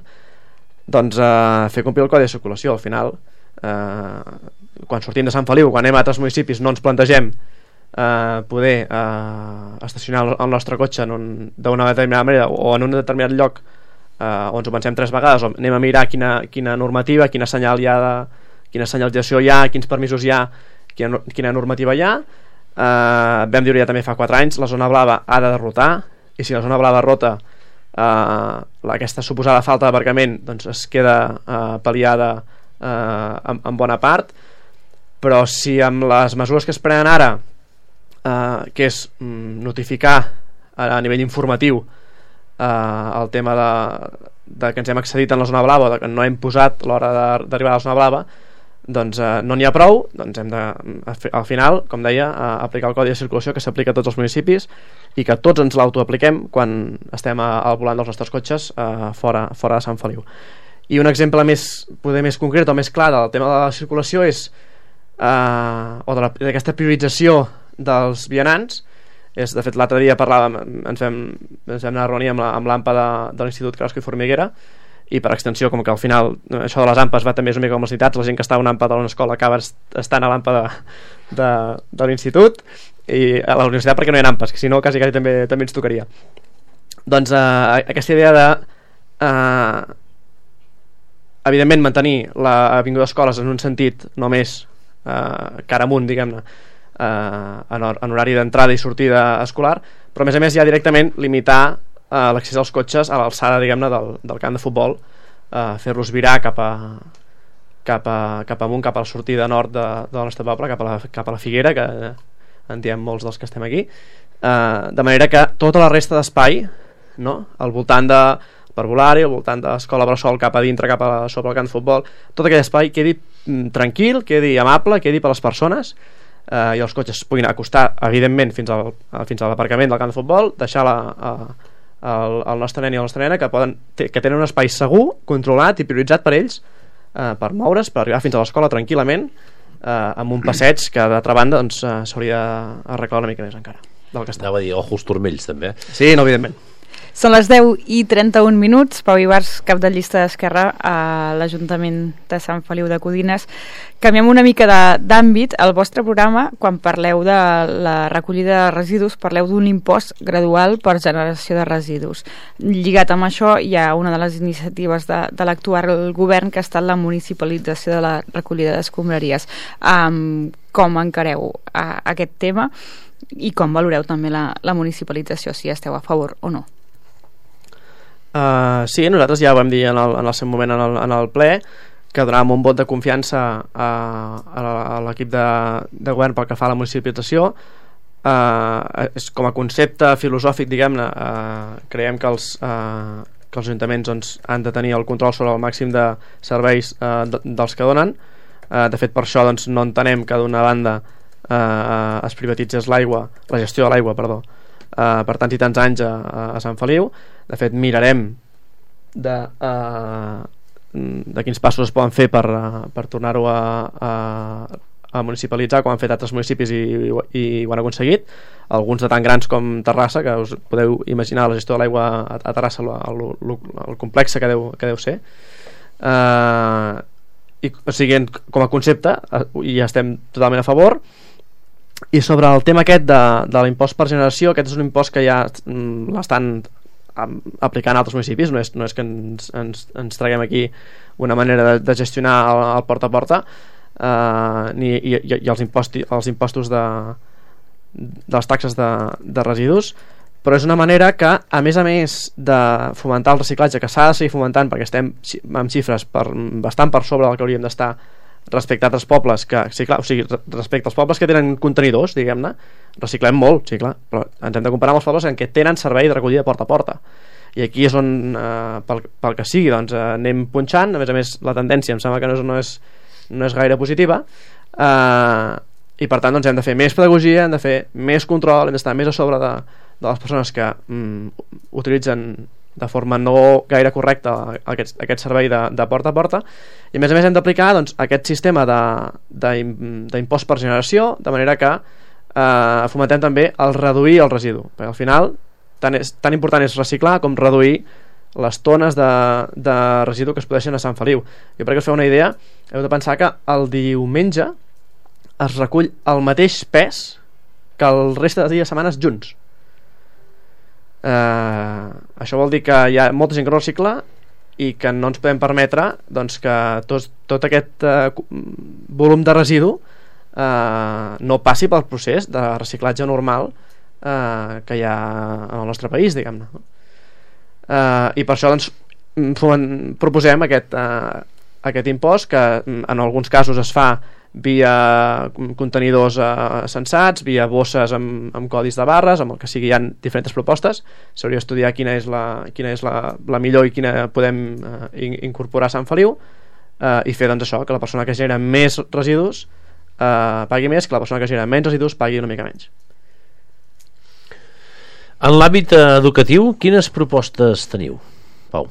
doncs eh, fer complir el codi de circulació. Al final eh, quan sortim de Sant Feliu, quan anem a altres municipis, no ens plantegem eh, poder eh, estacionar el nostre cotxe d'una determinada manera o en un determinat lloc eh, on ens ho pensem tres vegades, o anem a mirar quina, quina normativa, quina senyal hi ha de quina senyalització hi ha, quins permisos hi ha, quina, quina normativa hi ha. Eh, vam dir ja també fa quatre anys, la zona blava ha de derrotar, i si la zona blava rota, eh, aquesta suposada falta d'aparcament doncs es queda eh, pal·liada eh, en, en bona part, però si amb les mesures que es prenen ara, eh, que és mm, notificar a, a nivell informatiu eh, el tema de, de que ens hem accedit en la zona blava, de que no hem posat l'hora d'arribar a la zona blava, doncs eh, no n'hi ha prou, doncs hem de, al final, com deia, eh, aplicar el codi de circulació que s'aplica a tots els municipis i que tots ens l'autoapliquem quan estem a, al volant dels nostres cotxes eh, fora, fora de Sant Feliu. I un exemple més, poder més concret o més clar del tema de la circulació és eh, o d'aquesta priorització dels vianants. És, de fet, l'altre dia parlàvem, ens vam, ens vam anar a reunir amb l'AMPA de, de l'Institut Crasco i Formiguera, i per extensió, com que al final això de les AMPAs va també una mica com les necessitats, la gent que està a una AMPA de una escola acaba estant a l'AMPA de, de, de l'institut i a la universitat, perquè no hi ha AMPAs, que si no quasi, quasi també, també ens tocaria. Doncs eh, aquesta idea de eh, evidentment mantenir l'avinguda d'escoles en un sentit només eh, cara amunt, diguem-ne, Uh, en, en horari d'entrada i sortida escolar, però a més a més ja directament limitar uh, l'accés als cotxes a l'alçada, diguem-ne, del, del camp de futbol, uh, fer-los virar cap a, cap, a, cap amunt, cap a la sortida nord de, del nostre poble, cap a la, cap a la Figuera, que en diem molts dels que estem aquí, uh, de manera que tota la resta d'espai, no?, al voltant de parvulari, al voltant de l'escola bressol cap a dintre, cap a sobre el camp de futbol, tot aquell espai quedi mm, tranquil, quedi amable, quedi per les persones, Uh, i els cotxes puguin acostar evidentment fins al, fins a l'aparcament del camp de futbol, deixar la, uh, el, el nostre nen i la nostra nena que, poden, que tenen un espai segur, controlat i prioritzat per ells, uh, per moure's, per arribar fins a l'escola tranquil·lament, uh, amb un passeig que d'altra banda doncs, uh, s'hauria d'arreglar una mica més encara del que està. Anava a dir, ojos turmells també. Sí, no, evidentment. Són les deu i trenta-un minuts. Pau Ibars, cap de llista d'Esquerra a l'Ajuntament de Sant Feliu de Codines. Canviem una mica d'àmbit. Al vostre programa, quan parleu de la recollida de residus, parleu d'un impost gradual per generació de residus. Lligat amb això, hi ha una de les iniciatives de, de l'actual govern que ha estat la municipalització de la recollida d'escombraries. Um, com encareu a, a aquest tema i com valoreu també la, la municipalització, si esteu a favor o no? Uh, sí, nosaltres ja ho vam dir en el, en el seu moment en el, en el ple, que donàvem un vot de confiança a, a, a l'equip de, de govern pel que fa a la municipalització. Uh, és, com a concepte filosòfic, diguem-ne, uh, creiem que els, uh, que els ajuntaments doncs, han de tenir el control sobre el màxim de serveis uh, de, dels que donen. Uh, de fet, per això doncs, no entenem que d'una banda uh, es privatitzés l'aigua, la gestió de l'aigua, perdó, Uh, per tants i tants anys a, a Sant Feliu. De fet, mirarem de, uh, de quins passos es poden fer per, uh, per tornar-ho a, a, a municipalitzar, com han fet altres municipis i, i, i ho han aconseguit, alguns de tan grans com Terrassa, que us podeu imaginar la gestió de l'aigua a, a Terrassa, el, el, el complex que deu, que deu ser. Uh, i, o sigui, com a concepte uh, ja estem totalment a favor. I sobre el tema aquest de, de l'impost per generació, aquest és un impost que ja mm, l'estan aplicant a altres municipis, no és, no és que ens, ens, ens traguem aquí una manera de, de gestionar el, el porta a porta, uh, ni, i, i, i els, imposti, els impostos de, de les taxes de, de residus, però és una manera que, a més a més de fomentar el reciclatge, que s'ha de seguir fomentant perquè estem amb xifres per, bastant per sobre del que hauríem d'estar respecte a altres pobles que, sí, clar, o sigui, respecte als pobles que tenen contenidors, diguem-ne, reciclem molt, sí, clar, però ens hem de comparar amb els pobles en què tenen servei de recollida porta a porta, i aquí és on eh, pel, pel que sigui, doncs eh, anem punxant. A més a més la tendència em sembla que no és, no és, no és gaire positiva, eh, i per tant doncs hem de fer més pedagogia, hem de fer més control, hem d'estar més a sobre de, de les persones que mm, utilitzen de forma no gaire correcta aquest, aquest servei de, de porta a porta, i a més a més hem d'aplicar doncs, aquest sistema d'impost per generació, de manera que eh, fomentem també el reduir el residu, perquè al final tan, és, tan important és reciclar com reduir les tones de, de residu que es produeixen a Sant Feliu. Jo, perquè us feu una idea, heu de pensar que el diumenge es recull el mateix pes que el reste de dies de setmanes junts. Uh, això vol dir que hi ha molta gent que no recicla i que no ens podem permetre doncs, que tot, tot aquest uh, volum de residu uh, no passi pel procés de reciclatge normal uh, que hi ha en el nostre país, diguem-ne. Uh, i per això doncs, proposem aquest, uh, aquest impost, que en alguns casos es fa via contenidors eh, sensats, via bosses amb, amb codis de barres, amb el que sigui. Hi ha diferents propostes, s'hauria d'estudiar quina és, la, quina és la, la millor i quina podem eh, incorporar a Sant Feliu, eh, i fer doncs això, que la persona que genera més residus eh, pagui més, que la persona que genera menys residus pagui una mica menys. En l'àmbit educatiu, quines propostes teniu, Pau?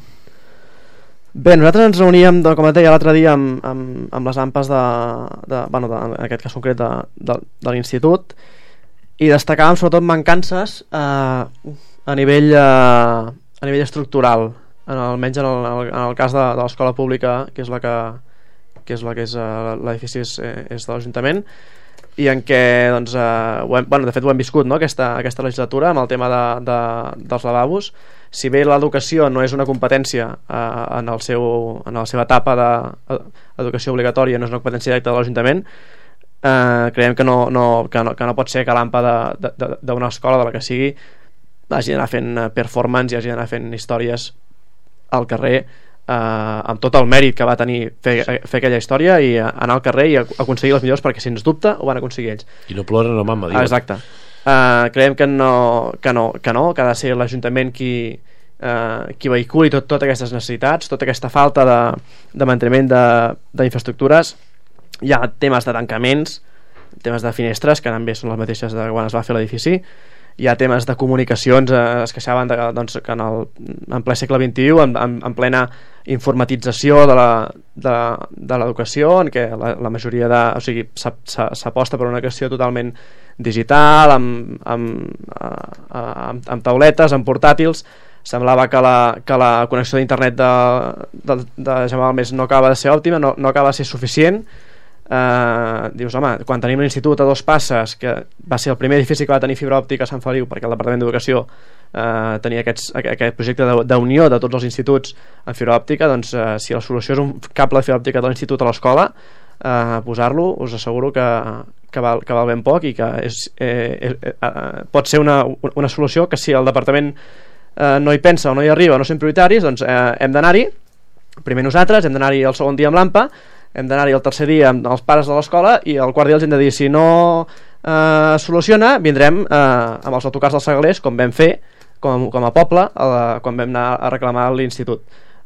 Bé, nosaltres ens reuníem, com et deia l'altre dia, amb, amb, amb les AMPAs de, de, bueno, de, en aquest cas concret de, de, de l'institut, i destacàvem sobretot mancances eh, a nivell eh, a nivell estructural, en, almenys en el, en el cas de, de l'escola pública, que és la que que és la que és uh, l'edifici és, és de l'Ajuntament, i en què doncs, uh, ho hem, bueno, de fet ho hem viscut, no? aquesta, aquesta legislatura amb el tema de, de, dels lavabos. Si bé l'educació no és una competència uh, en, el seu, en la seva etapa d'educació obligatòria, no és una competència directa de l'Ajuntament, uh, creiem que no, no, que, no, que no pot ser que l'AMPA d'una escola, de la que sigui, hagi d'anar fent performance i hagi d'anar fent històries al carrer, Uh, amb tot el mèrit que va tenir fer, fer aquella història, i anar al carrer i aconseguir les millors, perquè sens dubte ho van aconseguir ells. I no ploren la mama, diuen. Exacte. Uh, creiem que no, que no, que no, que ha de ser l'Ajuntament qui, uh, qui vehiculi tot, totes aquestes necessitats, tota aquesta falta de, de manteniment d'infraestructures. Hi ha temes de tancaments, temes de finestres, que també són les mateixes de quan es va fer l'edifici. Hi ha temes de comunicacions, eh, es queixaven de, doncs, que en, el, en ple segle vint-i-u, en, en, en plena informatització de l'educació, en què la, la majoria de... O sigui, s'aposta per una educació totalment digital, amb, amb, amb, amb tauletes, amb portàtils. Semblava que la, que la connexió d'internet de, de, de Gemma Balmes no acaba de ser òptima, no, no acaba de ser suficient. Uh, dius, home, quan tenim l'institut a dos passes, que va ser el primer edifici que va tenir fibra òptica a Sant Feliu, perquè el Departament d'Educació uh, tenia aquests, aquest projecte d'unió de tots els instituts en fibra òptica, doncs uh, si la solució és un cable de fibra òptica de l'institut a l'escola, uh, posar-lo, us asseguro que, que, val, que val ben poc, i que és, eh, eh, eh, pot ser una, una solució que, si el Departament eh, no hi pensa o no hi arriba, no són prioritaris, doncs eh, hem d'anar-hi primer nosaltres, hem d'anar-hi el segon dia amb l'AMPA, hem d'anar-hi el tercer dia amb els pares de l'escola, i el quart dia els hem de dir, si no eh, soluciona, vindrem eh, amb els autocars dels Segalers, com vam fer com, com a poble a la, quan vam anar a reclamar l'institut.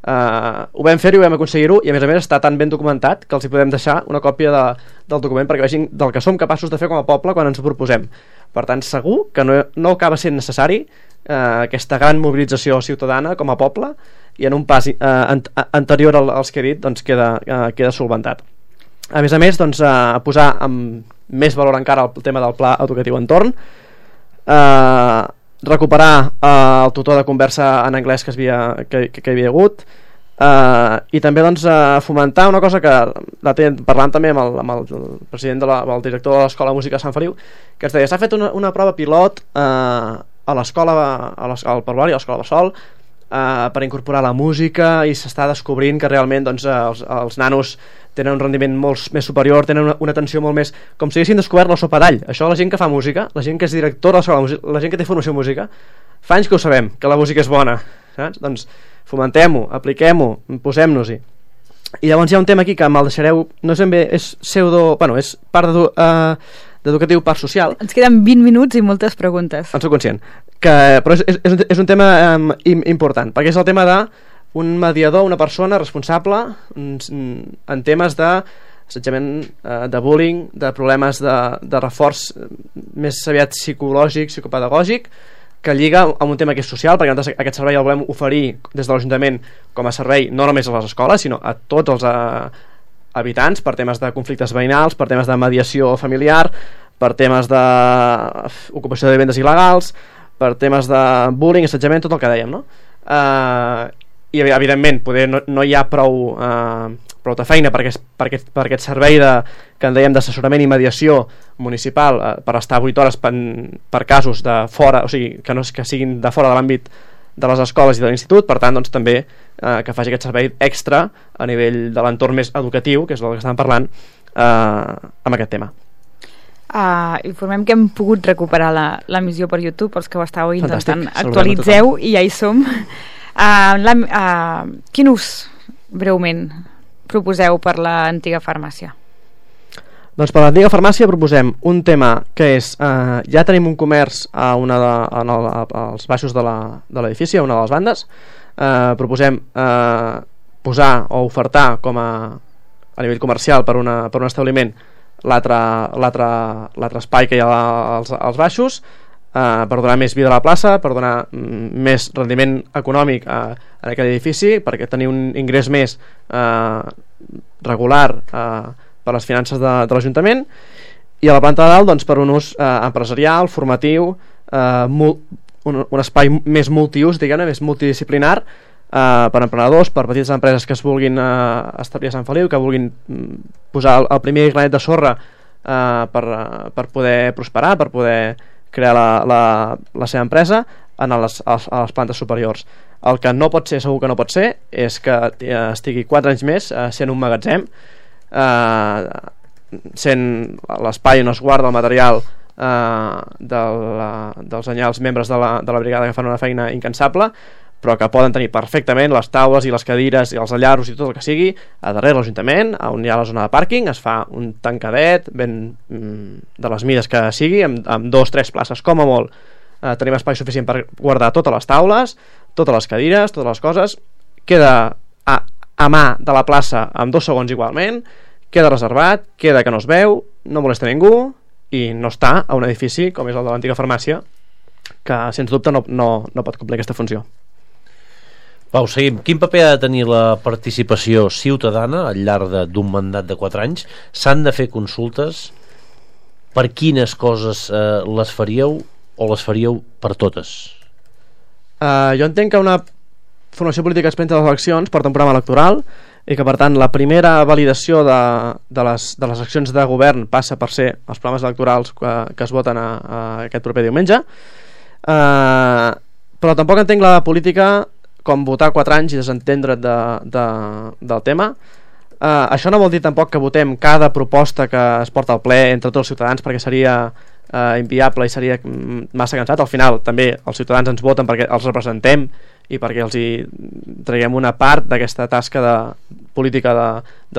Eh, ho vam fer i ho vam aconseguir-ho, i a més a més està tan ben documentat que els hi podem deixar una còpia de, del document perquè vegin del que som capaços de fer com a poble quan ens ho proposem. Per tant, segur que no, no acaba sent necessari eh, aquesta gran mobilització ciutadana com a poble, i en un pas eh, an anterior als que he dit, doncs queda, eh, queda solventat. A més a més, doncs, eh, posar amb més valor encara el tema del pla educatiu entorn, eh, recuperar eh, el tutor de conversa en anglès que, es havia, que, que, que hi havia hagut, eh, i també doncs, eh, fomentar una cosa que la ten, parlant també amb el, amb el president de la, el director de l'Escola de Música de Sant Feliu, que es deia, s'ha fet una, una prova pilot eh, a l'escola, al Parvoli, a l'escola Bassol, Uh, per incorporar la música, i s'està descobrint que realment doncs, uh, els, els nanos tenen un rendiment molt més superior, tenen una, una atenció molt més, com si haguessin descobert la sopa d'all. Això la gent que fa música, la gent que és directora de l'escola de música, la gent que té formació en música, fa anys que ho sabem, que la música és bona, saps? Doncs fomentem-ho, apliquem-ho, posem-nos-hi. I llavors hi ha un tema aquí que me'l deixareu, no és ben bé, és pseudo, bueno, és part de, uh, d'educatiu, part social. Ens queden vint minuts i moltes preguntes. En soc conscient. Que, però és, és, és un tema um, important, perquè és el tema d'un mediador, una persona responsable en, en temes d'assetjament, uh, de bullying, de problemes de, de reforç més aviat psicològic, psicopedagògic, que lliga amb un tema que és social, perquè nosaltres aquest servei el volem oferir des de l'Ajuntament com a servei no només a les escoles, sinó a tots els uh, habitants, per temes de conflictes veïnals, per temes de mediació familiar, per temes d'ocupació de vivendes il·legals, per temes de bullying, assetjament, tot el que dèiem, no? Uh, I evidentment poder no, no hi ha prou, uh, prou de feina per aquest, per aquest, per aquest servei de, que en dèiem d'assessorament i mediació municipal, uh, per estar vuit hores per, per casos de fora, o sigui, que no que siguin de fora de l'àmbit de les escoles i de l'institut. Per tant, doncs, també uh, que faci aquest servei extra a nivell de l'entorn més educatiu, que és el que estàvem parlant, uh, amb aquest tema. Uh, informem que hem pogut recuperar l'emissió per YouTube, els que ho estàveu intentant. Fantàstic. Actualitzeu i ja hi som. Uh, la, uh, quin ús, breument, proposeu per l'antiga farmàcia? Doncs per l'antiga farmàcia proposem un tema que és, uh, ja tenim un comerç a una de, a, a, als baixos de l'edifici, a una de les bandes. Uh, proposem uh, posar o ofertar com a, a nivell comercial per, una, per un establiment l'altre espai que hi ha als, als baixos, eh, per donar més vida a la plaça, per donar mm, més rendiment econòmic a, a aquell edifici, perquè tenir un ingrés més eh, regular eh, per les finances de, de l'Ajuntament, i a la planta de dalt doncs, per un ús eh, empresarial, formatiu, eh, mul, un, un espai més multiús, diguem-ne, més multidisciplinar, eh, per emprenedors, per petites empreses que es vulguin eh, establir a Sant Feliu, que vulguin posar el, el primer granet de sorra eh, per, per poder prosperar, per poder crear la, la, la seva empresa en les, a les plantes superiors. El que no pot ser, segur que no pot ser, és que estigui quatre anys més eh, sent un magatzem, eh, sent l'espai on es guarda el material eh, de la, dels anyals membres de la, de la brigada que fan una feina incansable, però que poden tenir perfectament les taules i les cadires i els allaros i tot el que sigui a darrere l'Ajuntament, on hi ha la zona de pàrquing, es fa un tancadet ben, de les mides que sigui, amb, amb dos, tres places com a molt. Eh, tenim espai suficient per guardar totes les taules, totes les cadires, totes les coses, queda a, a mà de la plaça amb dos segons igualment, queda reservat, queda que no es veu, no molesta ningú i no està a un edifici com és el de l'antiga farmàcia, que sens dubte no, no, no pot complir aquesta funció. Pau, seguim. Quin paper ha de tenir la participació ciutadana al llarg d'un mandat de quatre anys? S'han de fer consultes? Per quines coses eh, les faríeu o les faríeu per totes? Uh, jo entenc que una formació política es presenta a les eleccions porta un programa electoral i que per tant la primera validació de, de, les, de les accions de govern passa per ser els programes electorals que, que es voten a, a aquest proper diumenge, uh, però tampoc entenc la política com votar quatre anys i desentendre't de, de, del tema. Uh, això no vol dir tampoc que votem cada proposta que es porta al ple entre tots els ciutadans, perquè seria uh, inviable i seria massa cansat. Al final també els ciutadans ens voten perquè els representem i perquè els hi traiem una part d'aquesta tasca de política de,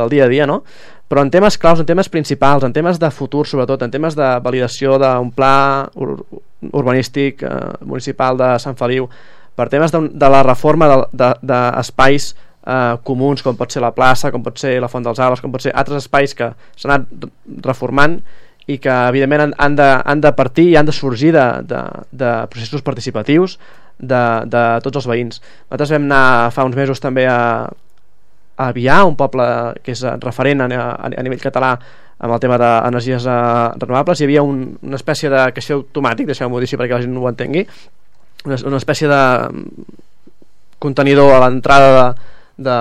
del dia a dia, no? Però en temes claus, en temes principals, en temes de futur sobretot, en temes de validació d'un pla ur urbanístic uh, municipal de Sant Feliu, per temes de, de la reforma d'espais de, de eh, comuns, com pot ser la plaça, com pot ser la Font dels Arbres, com pot ser altres espais que s'han anat reformant i que evidentment han, han, de, han de partir i han de sorgir de, de, de processos participatius de, de tots els veïns. Nosaltres vam anar fa uns mesos també a, a Avià, un poble que és referent a, a, a nivell català amb el tema d'energies eh, renovables. Hi havia un, una espècie de caixer automàtic, deixeu-m'ho dir perquè la gent no ho entengui, una, una espècie de contenidor a l'entrada de, de,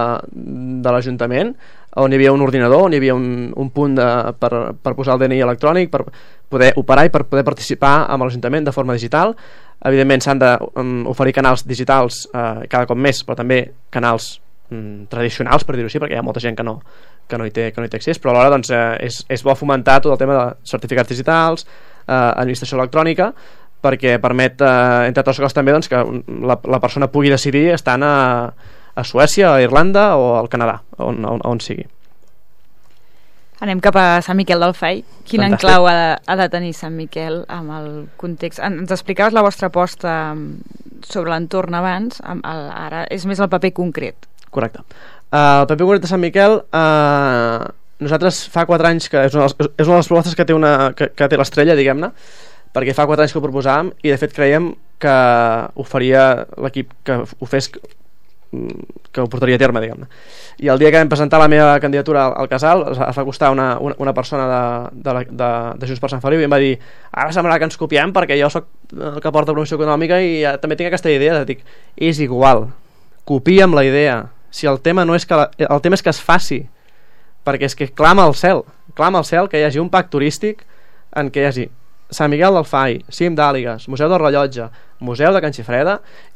de l'Ajuntament on hi havia un ordinador, on hi havia un, un punt de, per, per posar el D N I electrònic, per poder operar i per poder participar amb l'Ajuntament de forma digital. Evidentment s'han d'oferir canals digitals eh, cada cop més, però també canals mm, tradicionals, per dir-ho així, perquè hi ha molta gent que no, que no, hi, té, que no hi té accés, però alhora doncs, eh, és, és bo fomentar tot el tema de certificats digitals, eh, administració electrònica, perquè permet, eh, entre altres coses també, doncs, que la, la persona pugui decidir estant a, a Suècia, a Irlanda o al Canadà, on, on, on sigui. Anem cap a Sant Miquel del Fai. Quin Fantàstic. enclau ha de, ha de tenir Sant Miquel amb el context? Ens explicaves la vostra aposta sobre l'entorn abans, amb el, ara és més el paper concret. Correcte. Uh, el paper concret de Sant Miquel, uh, nosaltres fa quatre anys que és una, és una de les propostes que té, una, que, que té l'estrella, diguem-ne, perquè fa quatre anys que ho proposàvem i de fet creiem que ho faria l'equip que ho fes, que ho portaria a terme, diguem-ne. I el dia que vam presentar la meva candidatura al, al casal es va costar una, una, una persona de, de, la, de, de Junts per Sant Feliu i em va dir, ara semblarà que ens copiem perquè jo sóc el que porta promoció econòmica i ja, també tinc aquesta idea. Dic, és igual, copia'm la idea, si el tema no és que la, el tema és que es faci, perquè és que clama al cel clama al cel que hi hagi un pack turístic en què hi hagi Sant Miquel del Fai, Cim d'Àligues, Museu del Rellotge, Museu de Can Xifreda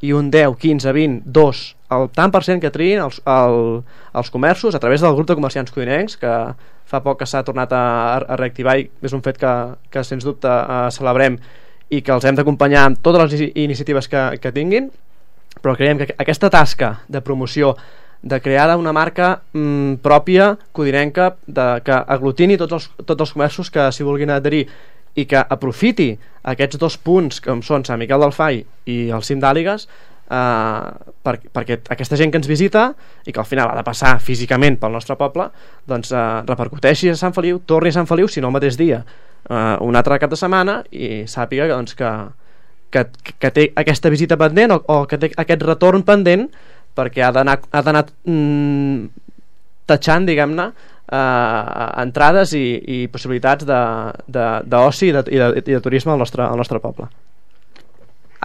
i un deu, quinze, vint, dos el tant per cent que triïn els, el, els comerços a través del grup de comerciants codinencs, que fa poc que s'ha tornat a, a reactivar i és un fet que, que sens dubte eh, celebrem i que els hem d'acompanyar amb totes les iniciatives que, que tinguin, però creiem que aquesta tasca de promoció, de crear una marca mm, pròpia codinenca, de, que aglutini tots els, tots els comerços que s'hi vulguin adherir i que aprofiti aquests dos punts com són Sant Miquel del Fai i el Cim d'Àligues eh, per, perquè aquesta gent que ens visita i que al final ha de passar físicament pel nostre poble doncs eh, repercuteixi a Sant Feliu, torni a Sant Feliu si no el mateix dia, eh, un altre cap de setmana i sàpiga doncs, que, que, que té aquesta visita pendent o, o que té aquest retorn pendent perquè ha d'anar ha d'anar mm, tatxant, diguem-ne, eh, entrades i, i possibilitats d'oci i, de, i, de, i de turisme al nostre, al nostre poble.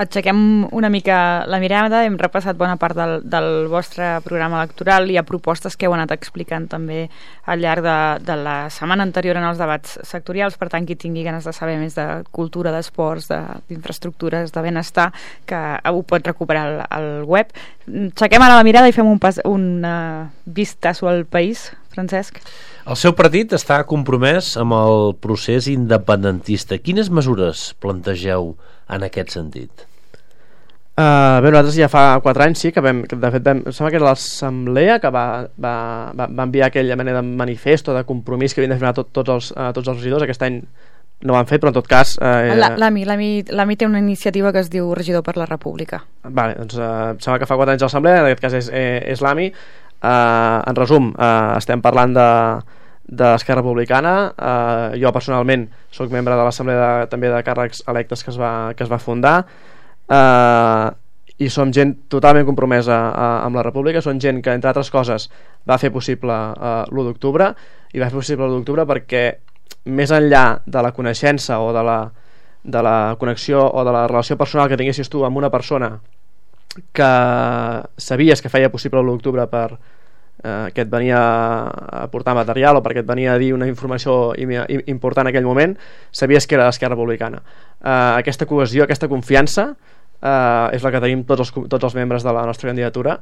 Aixequem una mica la mirada, hem repassat bona part del, del vostre programa electoral, hi ha propostes que heu anat explicant també al llarg de, de la setmana anterior en els debats sectorials, per tant qui tingui ganes de saber més de cultura, d'esports, d'infraestructures, de benestar, que ho pot recuperar al, al web. Aixequem ara la mirada i fem un, pas, un uh, vistazo al país, Francesc. El seu partit està compromès amb el procés independentista. Quines mesures plantegeu en aquest sentit? Uh, bé, nosaltres ja fa quatre anys sí que vam, que de fet vam, sembla que era l'assemblea que va, va, va, va enviar aquella mena de manifesto, de compromís que havien de firmar tot, tots, els, uh, tots els regidors. Aquest any no ho han fet, però en tot cas... Uh, L'AMI l'AMI té una iniciativa que es diu Regidor per la República. Vale, doncs uh, sembla que fa quatre anys a l'assemblea, en aquest cas és, és, és l'AMI. Uh, en resum, uh, estem parlant de de l'Esquerra Republicana. Uh, jo personalment soc membre de l'assemblea també de càrrecs electes que es va, que es va fundar, uh, i som gent totalment compromesa uh, amb la República. Som gent que, entre altres coses, va fer possible uh, l'u d'octubre, i va fer possible l'u d'octubre perquè més enllà de la coneixença o de la, de la connexió o de la relació personal que tinguessis tu amb una persona que sabies que feia possible l'u d'octubre per Eh, que et venia a portar material o perquè et venia a dir una informació important en aquell moment, sabies que era l'Esquerra Republicana. Eh, aquesta cohesió, aquesta confiança eh, és la que tenim tots els, tots els membres de la nostra candidatura,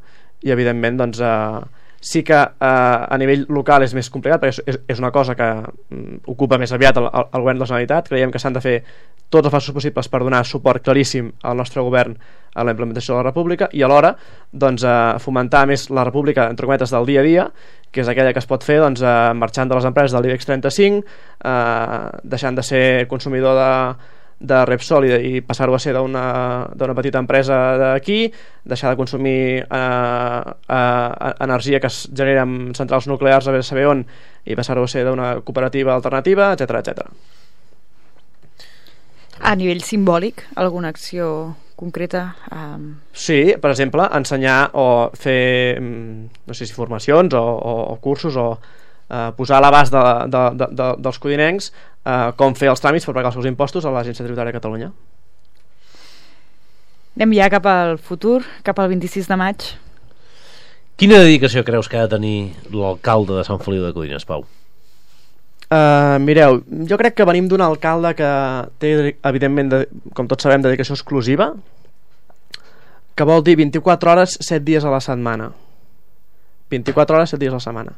i evidentment doncs, eh, sí que eh, a nivell local és més complicat perquè és, és una cosa que mm, ocupa més aviat el, el govern de la Generalitat. Creiem que s'han de fer tots els passos possibles per donar suport claríssim al nostre govern a la implementació de la República, i alhora doncs, eh, fomentar més la República, entre cometes, del dia a dia, que és aquella que es pot fer doncs, eh, marxant de les empreses del IBEX trenta-cinc, eh, deixant de ser consumidor de, de Repsol i, i passar-ho a ser d'una petita empresa d'aquí, deixar de consumir eh, eh, energia que es genera en centrals nuclears a saber on, i passar-ho a ser d'una cooperativa alternativa, etcètera, etcètera. A nivell simbòlic, alguna acció concreta? Um... Sí, per exemple, ensenyar o fer, no sé si formacions o, o, o cursos, o uh, posar a l'abast de, de, de, de, dels codinencs uh, com fer els tràmits per pagar els seus impostos a l'Agència Tributària de Catalunya. Anem ja cap al futur, cap al vint-i-sis de maig. Quina dedicació creus que ha de tenir l'alcalde de Sant Feliu de Codines, Pau? Uh, mireu, jo crec que venim d'un alcalde que té, evidentment, de, com tots sabem, dedicació exclusiva, que vol dir vint-i-quatre hores, set dies a la setmana. vint-i-quatre hores, set dies a la setmana.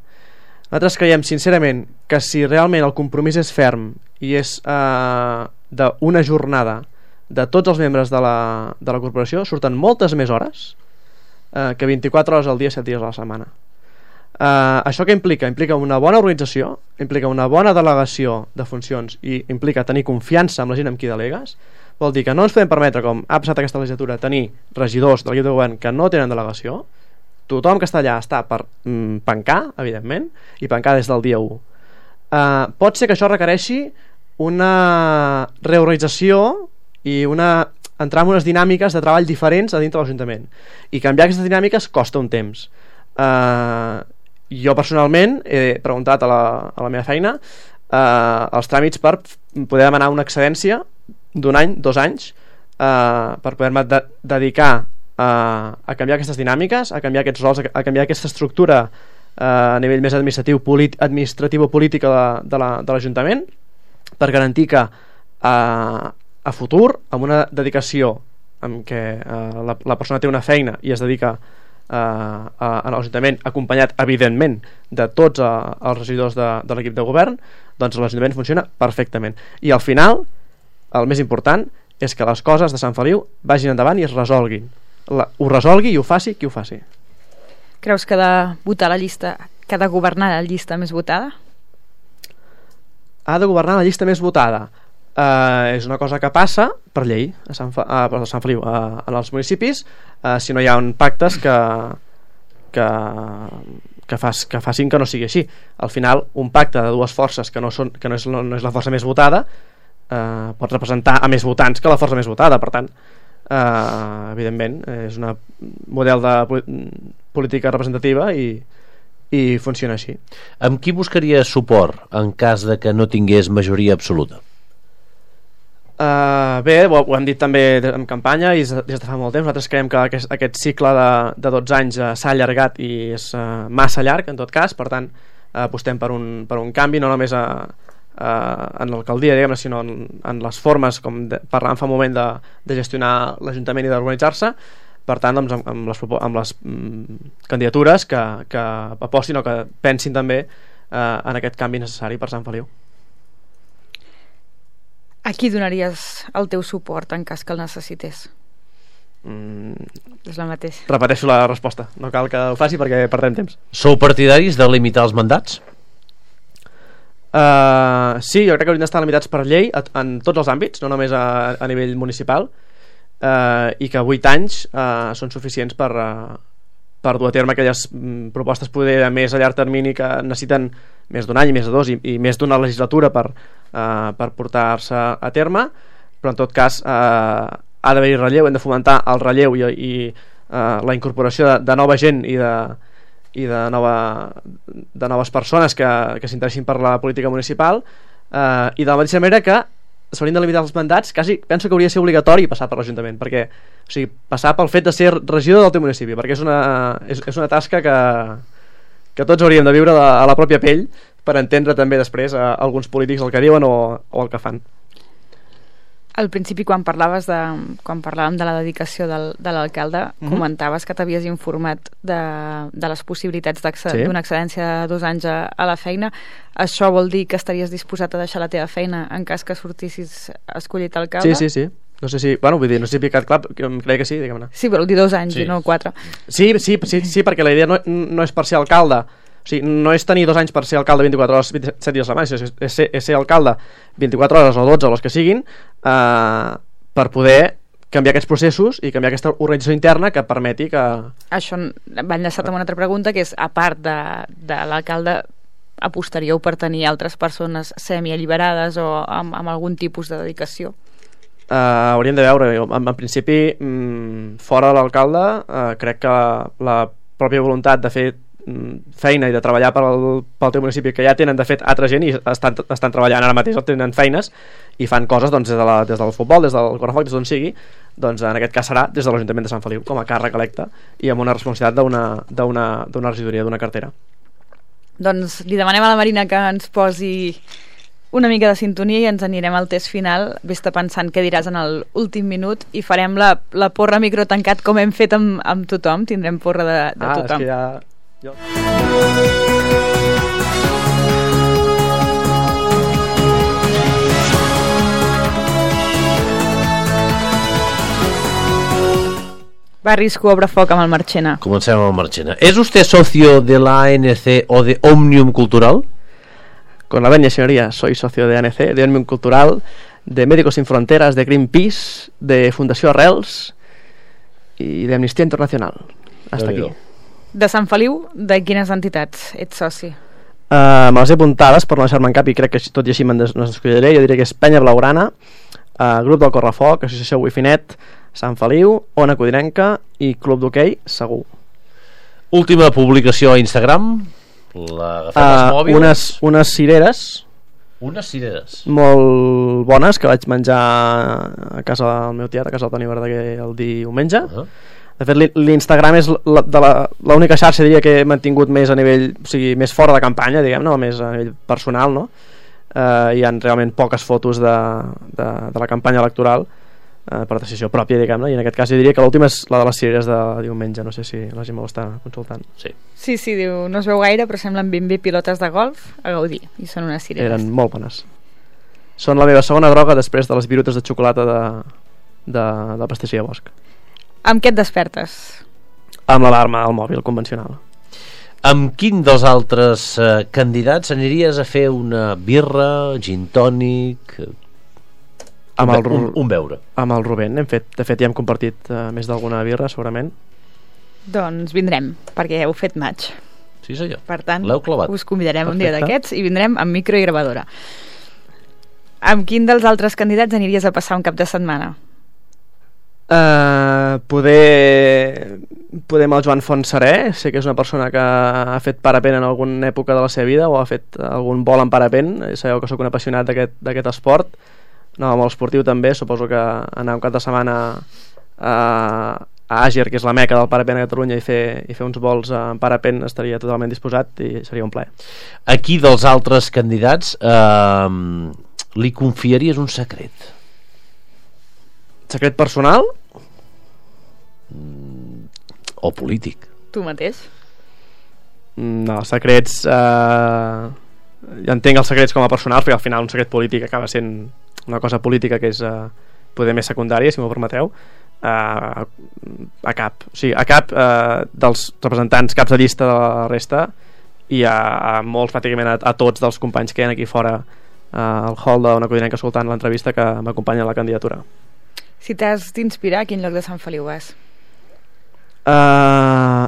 Nosaltres creiem, sincerament, que si realment el compromís és ferm i és uh, d'una jornada de tots els membres de la, de la corporació, surten moltes més hores uh, que vint-i-quatre hores al dia, set dies a la setmana. Uh, això què implica? Implica una bona organització, implica una bona delegació de funcions i implica tenir confiança amb la gent amb qui delegues. Vol dir que no ens podem permetre, com ha passat aquesta legislatura, tenir regidors de l'equip de govern que no tenen delegació. Tothom que està allà està per mm, pencar, evidentment, i pencar des del dia u. Uh, pot ser que això requereixi una reorganització i una entrar en unes dinàmiques de treball diferents a dintre de l'Ajuntament, i canviar aquestes dinàmiques costa un temps. Uh, jo personalment he preguntat a la, a la meva feina uh, els tràmits per poder demanar una excedència d'un any, dos anys, uh, per poder-me de dedicar uh, a canviar aquestes dinàmiques, a canviar aquests rols, a, a canviar aquesta estructura uh, a nivell més administratiu, administratiu o política de, de l'Ajuntament, per garantir que uh, a futur, amb una dedicació amb què uh, la, la persona té una feina i es dedica Uh, a, a l'Ajuntament, acompanyat evidentment de tots uh, els regidors de, de l'equip de govern, doncs l'Ajuntament funciona perfectament. I al final el més important és que les coses de Sant Feliu vagin endavant i es resolguin. La, ho resolgui i ho faci qui ho faci. Creus que ha de votar la llista, que ha de governar la llista més votada? Ha de governar la llista més votada. Uh, és una cosa que passa per llei a Sant, Fe, uh, a Sant Feliu, uh, en els municipis, uh, si no hi ha pactes que, que, que, fas, que facin que no sigui així. Al final, un pacte de dues forces que no, són, que no, és, no és la força més votada uh, pot representar a més votants que la força més votada. Per tant, uh, evidentment és un model de política representativa, i, i funciona així. Amb qui buscaria suport en cas de que no tingués majoria absoluta? Uh, bé, ho, ho hem dit també en campanya i des de fa molt temps. Nosaltres creiem que aquest, aquest cicle de, de dotze anys uh, s'ha allargat i és uh, massa llarg en tot cas, per tant uh, apostem per un, per un canvi, no només a, a, en l'alcaldia, diguem-ne, sinó en, en les formes, com de, parlàvem fa un moment, de, de gestionar l'Ajuntament i d'organitzar-se. Per tant, doncs, amb, amb les, amb les mm, candidatures que, que apostin o que pensin també eh, en aquest canvi necessari per Sant Feliu. A qui donaries el teu suport en cas que el necessités? Mm, és la mateixa. Repeteixo la resposta, no cal que ho faci perquè perdem temps. Sou partidaris de limitar els mandats? Uh, sí, jo crec que haurien d'estar limitats per llei a, en tots els àmbits, no només a, a nivell municipal. Uh, i que vuit anys uh, són suficients per, uh, per dur a terme aquelles mm, propostes poder a més a llarg termini que necessiten més d'un any, més de dos i, i més d'una legislatura per, uh, per portar-se a terme, però en tot cas uh, ha d'haver-hi relleu, hem de fomentar el relleu i, i uh, la incorporació de, de nova gent i de, i de, nova, de noves persones que, que s'interessin per la política municipal, uh, i de la mateixa manera que s'haurien de limitar els mandats. Quasi penso que hauria de ser obligatori passar per l'Ajuntament, perquè, o sigui, passar pel fet de ser regidor del teu municipi, perquè és una, és, és una tasca que, que tots hauríem de viure a la pròpia pell per entendre també després a alguns polítics el que diuen o, o el que fan. Al principi, quan parlaves de, quan parlàvem de la dedicació del, de l'alcalde, mm-hmm. comentaves que t'havies informat de, de les possibilitats sí. d'una excedència de dos anys a, a la feina. Això vol dir que estaries disposat a deixar la teva feina en cas que sortissis escollit alcalde? Sí, sí, sí. No sé si, bueno, vull dir, no sé si he picat clar, crec que sí, diguem-ne. Sí, vol dir dos anys sí. i no quatre. Sí, sí, sí, sí, perquè la idea no, no és per ser alcalde. O sigui, no és tenir dos anys per ser alcalde vint-i-quatre hores, vint-i-set dies a la setmana, és, és, ser, és ser alcalde vint-i-quatre hores o dotze o les que siguin, eh, per poder canviar aquests processos i canviar aquesta organització interna que permeti que... Això va enllaçat amb una altra pregunta, que és, a part de, de l'alcalde, apostaríeu per tenir altres persones semi-alliberades o amb, amb algun tipus de dedicació? Uh, hauríem de veure, en, en principi, mm, fora de l'alcalde, uh, crec que la pròpia voluntat de fer feina i de treballar pel, pel teu municipi, que ja tenen de fet altra gent i estan, estan treballant ara mateix, tenen feines i fan coses doncs, des, de la, des del futbol, des del correfoc, des d'on sigui, doncs en aquest cas serà des de l'Ajuntament de Sant Feliu com a càrrec electe i amb una responsabilitat d'una regidoria, d'una cartera. Doncs li demanem a la Marina que ens posi una mica de sintonia i ens anirem al test final. Vés-te pensant què diràs en l'últim minut i farem la, la porra micro tancat com hem fet amb, amb tothom. Tindrem porra de, de ah, tothom. És que ja... Jo... Va, Risco, obre foc amb el Marchena. Comencem amb el Marchena. ¿Es usted socio de la A N C o de Òmnium Cultural? Con la venia, señoría, soy socio de A N C, de Òmnium Cultural, de Médicos Sin Fronteras, de Greenpeace, de Fundació Arrels i d'Amnistia Internacional. Hasta aquí. De Sant Feliu, de quines entitats ets soci? Uh, me les he apuntades per no deixar-me en cap i crec que tot i així me'n des descuidaré. Jo diria que és Penya Blaugrana, uh, Grup del Correfoc, Associació Wifinet, Sant Feliu, Ona Codinenca i Club d'Hoquei Segur. Última publicació a Instagram, l'agafem uh, els mòbils. Unes, unes cireres Unes cireres molt bones que vaig menjar a casa del meu tiet, a casa del Toni Verdaguer el diumenge. uh -huh. De fet, l'Instagram és l'única xarxa, diria, que he mantingut més a nivell, o sigui, més fora de campanya, diguem, no? Més a nivell personal, no? Uh, hi ha realment poques fotos de, de, de la campanya electoral uh, per decisió pròpia, diguem, no? I en aquest cas jo diria que l'última és la de les cireres de diumenge. No sé si la gent me l'està consultant. Sí. Sí, sí, diu, no es veu gaire, però semblen ben bé pilotes de golf a gaudir, i són unes cireres. Eren molt bones. Són la meva segona droga després de les virutes de xocolata de, de, de pastisseria Bosch. Amb què et despertes? Amb l'alarma al mòbil convencional. Amb quin dels altres eh, candidats aniries a fer una birra, gin tònic, amb el, un, un beure? Amb el Rubén, hem fet, de fet ja hem compartit uh, més d'alguna birra segurament. Doncs vindrem, perquè heu fet maig. Sí senyor, per tant l'heu clavat. Us convidarem Perfecte. Un dia d'aquests i vindrem amb micro i gravadora. Amb quin dels altres candidats aniries a passar un cap de setmana? Uh, poder poder amb el Joan Fontserè, sé que és una persona que ha fet parapent en alguna època de la seva vida o ha fet algun vol en parapent. Sabeu que sóc un apassionat d'aquest esport, no, molt esportiu també. Suposo que anar un cap de setmana a, a Àger, que és la meca del parapent a Catalunya, i fer, i fer uns vols en parapent estaria totalment disposat i seria un plaer. Aquí dels altres candidats eh, li confiaries un secret? Secret personal? O polític? Tu mateix? No, secrets... Eh, jo entenc els secrets com a personals, perquè al final un secret polític acaba sent una cosa política que és eh, poder més secundària, si m'ho permeteu. Eh, a cap, o sigui, a cap eh, dels representants, caps de llista de la resta, i a, a molts, pràcticament a, a tots dels companys que hi ha aquí fora eh, al hall d'Ona Codinenca escoltant l'entrevista, que m'acompanyen a la candidatura. Si t'has d'inspirar, a quin lloc de Sant Feliu vas? Uh,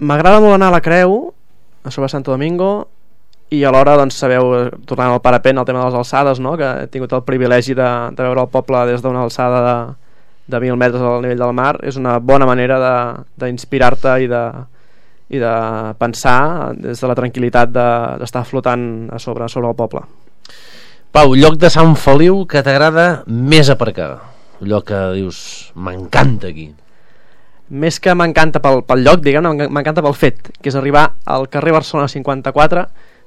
m'agrada molt anar a la Creu, a sobre Santo Domingo, i alhora, doncs, sabeu, tornant al parapent, el tema de les alçades, no? Que he tingut el privilegi de, de veure el poble des d'una alçada de, de mil metres al nivell del mar. És una bona manera d'inspirar-te i, de, i de pensar des de la tranquil·litat d'estar de, flotant a sobre, a sobre el poble. Pau, lloc de Sant Feliu que t'agrada més aparcar? Un lloc que dius, m'encanta aquí. Més que m'encanta pel, pel lloc, diguem-ne, m'encanta pel fet, que és arribar al carrer Barcelona cinquanta-quatre,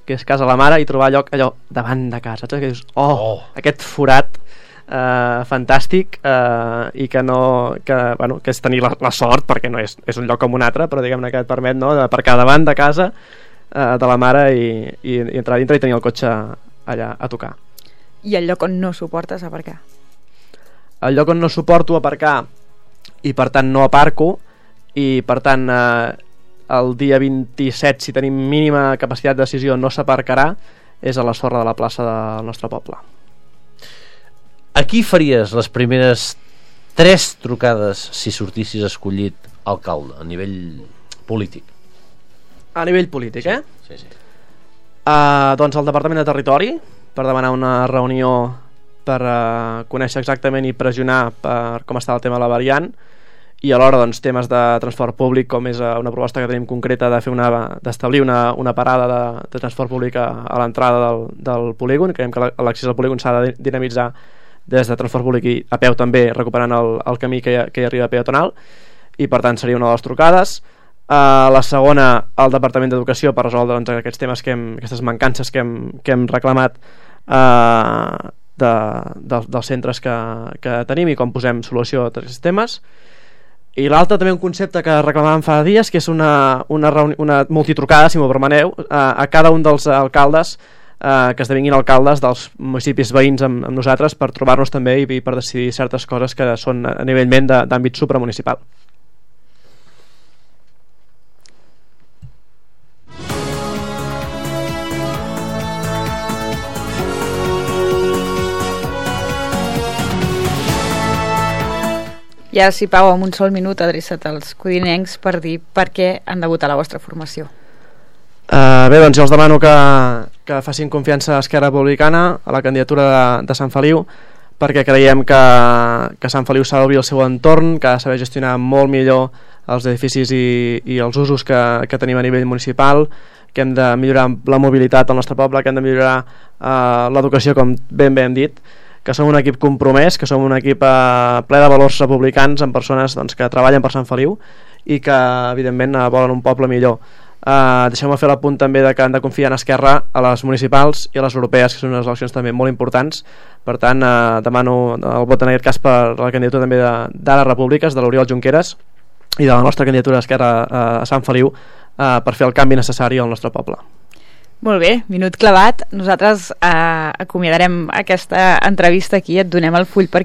que és Casa la Mare, i trobar lloc allò davant de casa, saps? Que dius, oh, oh. aquest forat eh, fantàstic, eh, i que no que, bueno, que és tenir la, la sort, perquè no és, és un lloc com un altre, però diguem-ne que et permet, no, d'aparcar davant de casa eh, de la Mare i, i, i entrar dintre i tenir el cotxe allà a tocar. I el lloc on no suportes aparcar? El lloc on no suporto aparcar i per tant no aparco, i per tant eh, el dia vint-i-set, si tenim mínima capacitat de decisió, no s'aparcarà, és a la sorra de la plaça del nostre poble. Aquí faries les primeres tres trucades si sortissis escollit alcalde a nivell polític? A nivell polític, sí, eh? Sí, sí. Uh, doncs al Departament de Territori, per demanar una reunió per uh, conèixer exactament i pressionar per com està el tema de la variant, i alhora doncs, temes de transport públic, com és una proposta que tenim concreta de fer una d'establir una, una parada de, de transport públic a, a l'entrada del, del polígon. Creiem que l'accés al polígon s'ha de dinamitzar des de transport públic i a peu també, recuperant el, el camí que hi, ha, que hi arriba peatonal, i per tant seria una de les trucades. Uh, la segona, al Departament d'Educació, per resoldre doncs, aquests temes que hem, aquestes mancances que hem, que hem reclamat uh, de, de, dels centres que, que tenim, i com posem solució a aquests temes. I l'altre, també un concepte que reclamàvem fa dies, que és una, una, una multitrucada, si m'ho permeteu, a, a cada un dels alcaldes eh, que esdevinguin alcaldes dels municipis veïns amb, amb nosaltres, per trobar-nos també i, i per decidir certes coses que són a nivellment d'àmbit supramunicipal. I ara sí, Pau, amb un sol minut adreça't als codinencs per dir per què han de votar la vostra formació. Uh, bé, doncs jo els demano que, que facin confiança a Esquerra Republicana, a la candidatura de, de Sant Feliu, perquè creiem que, que Sant Feliu s'ha d'obrir el seu entorn, que ha de saber gestionar molt millor els edificis i, i els usos que, que tenim a nivell municipal, que hem de millorar la mobilitat al nostre poble, que hem de millorar uh, l'educació, com ben bé hem dit, que som un equip compromès, que som un equip eh, ple de valors republicans, amb persones doncs, que treballen per Sant Feliu i que evidentment eh, volen un poble millor. Eh, Deixeu-me fer l'apunt també de que han de confiar en Esquerra a les municipals i a les europees, que són unes eleccions també molt importants. Per tant, eh, demano el vot en aquest cas per la candidatura també d'Ara Repúbliques, de l'Oriol Junqueras, i de la nostra candidatura d'Esquerra eh, a Sant Feliu, eh, per fer el canvi necessari al nostre poble. Molt bé, minut clavat. Nosaltres eh, acomiadarem aquesta entrevista aquí, et donem el full perquè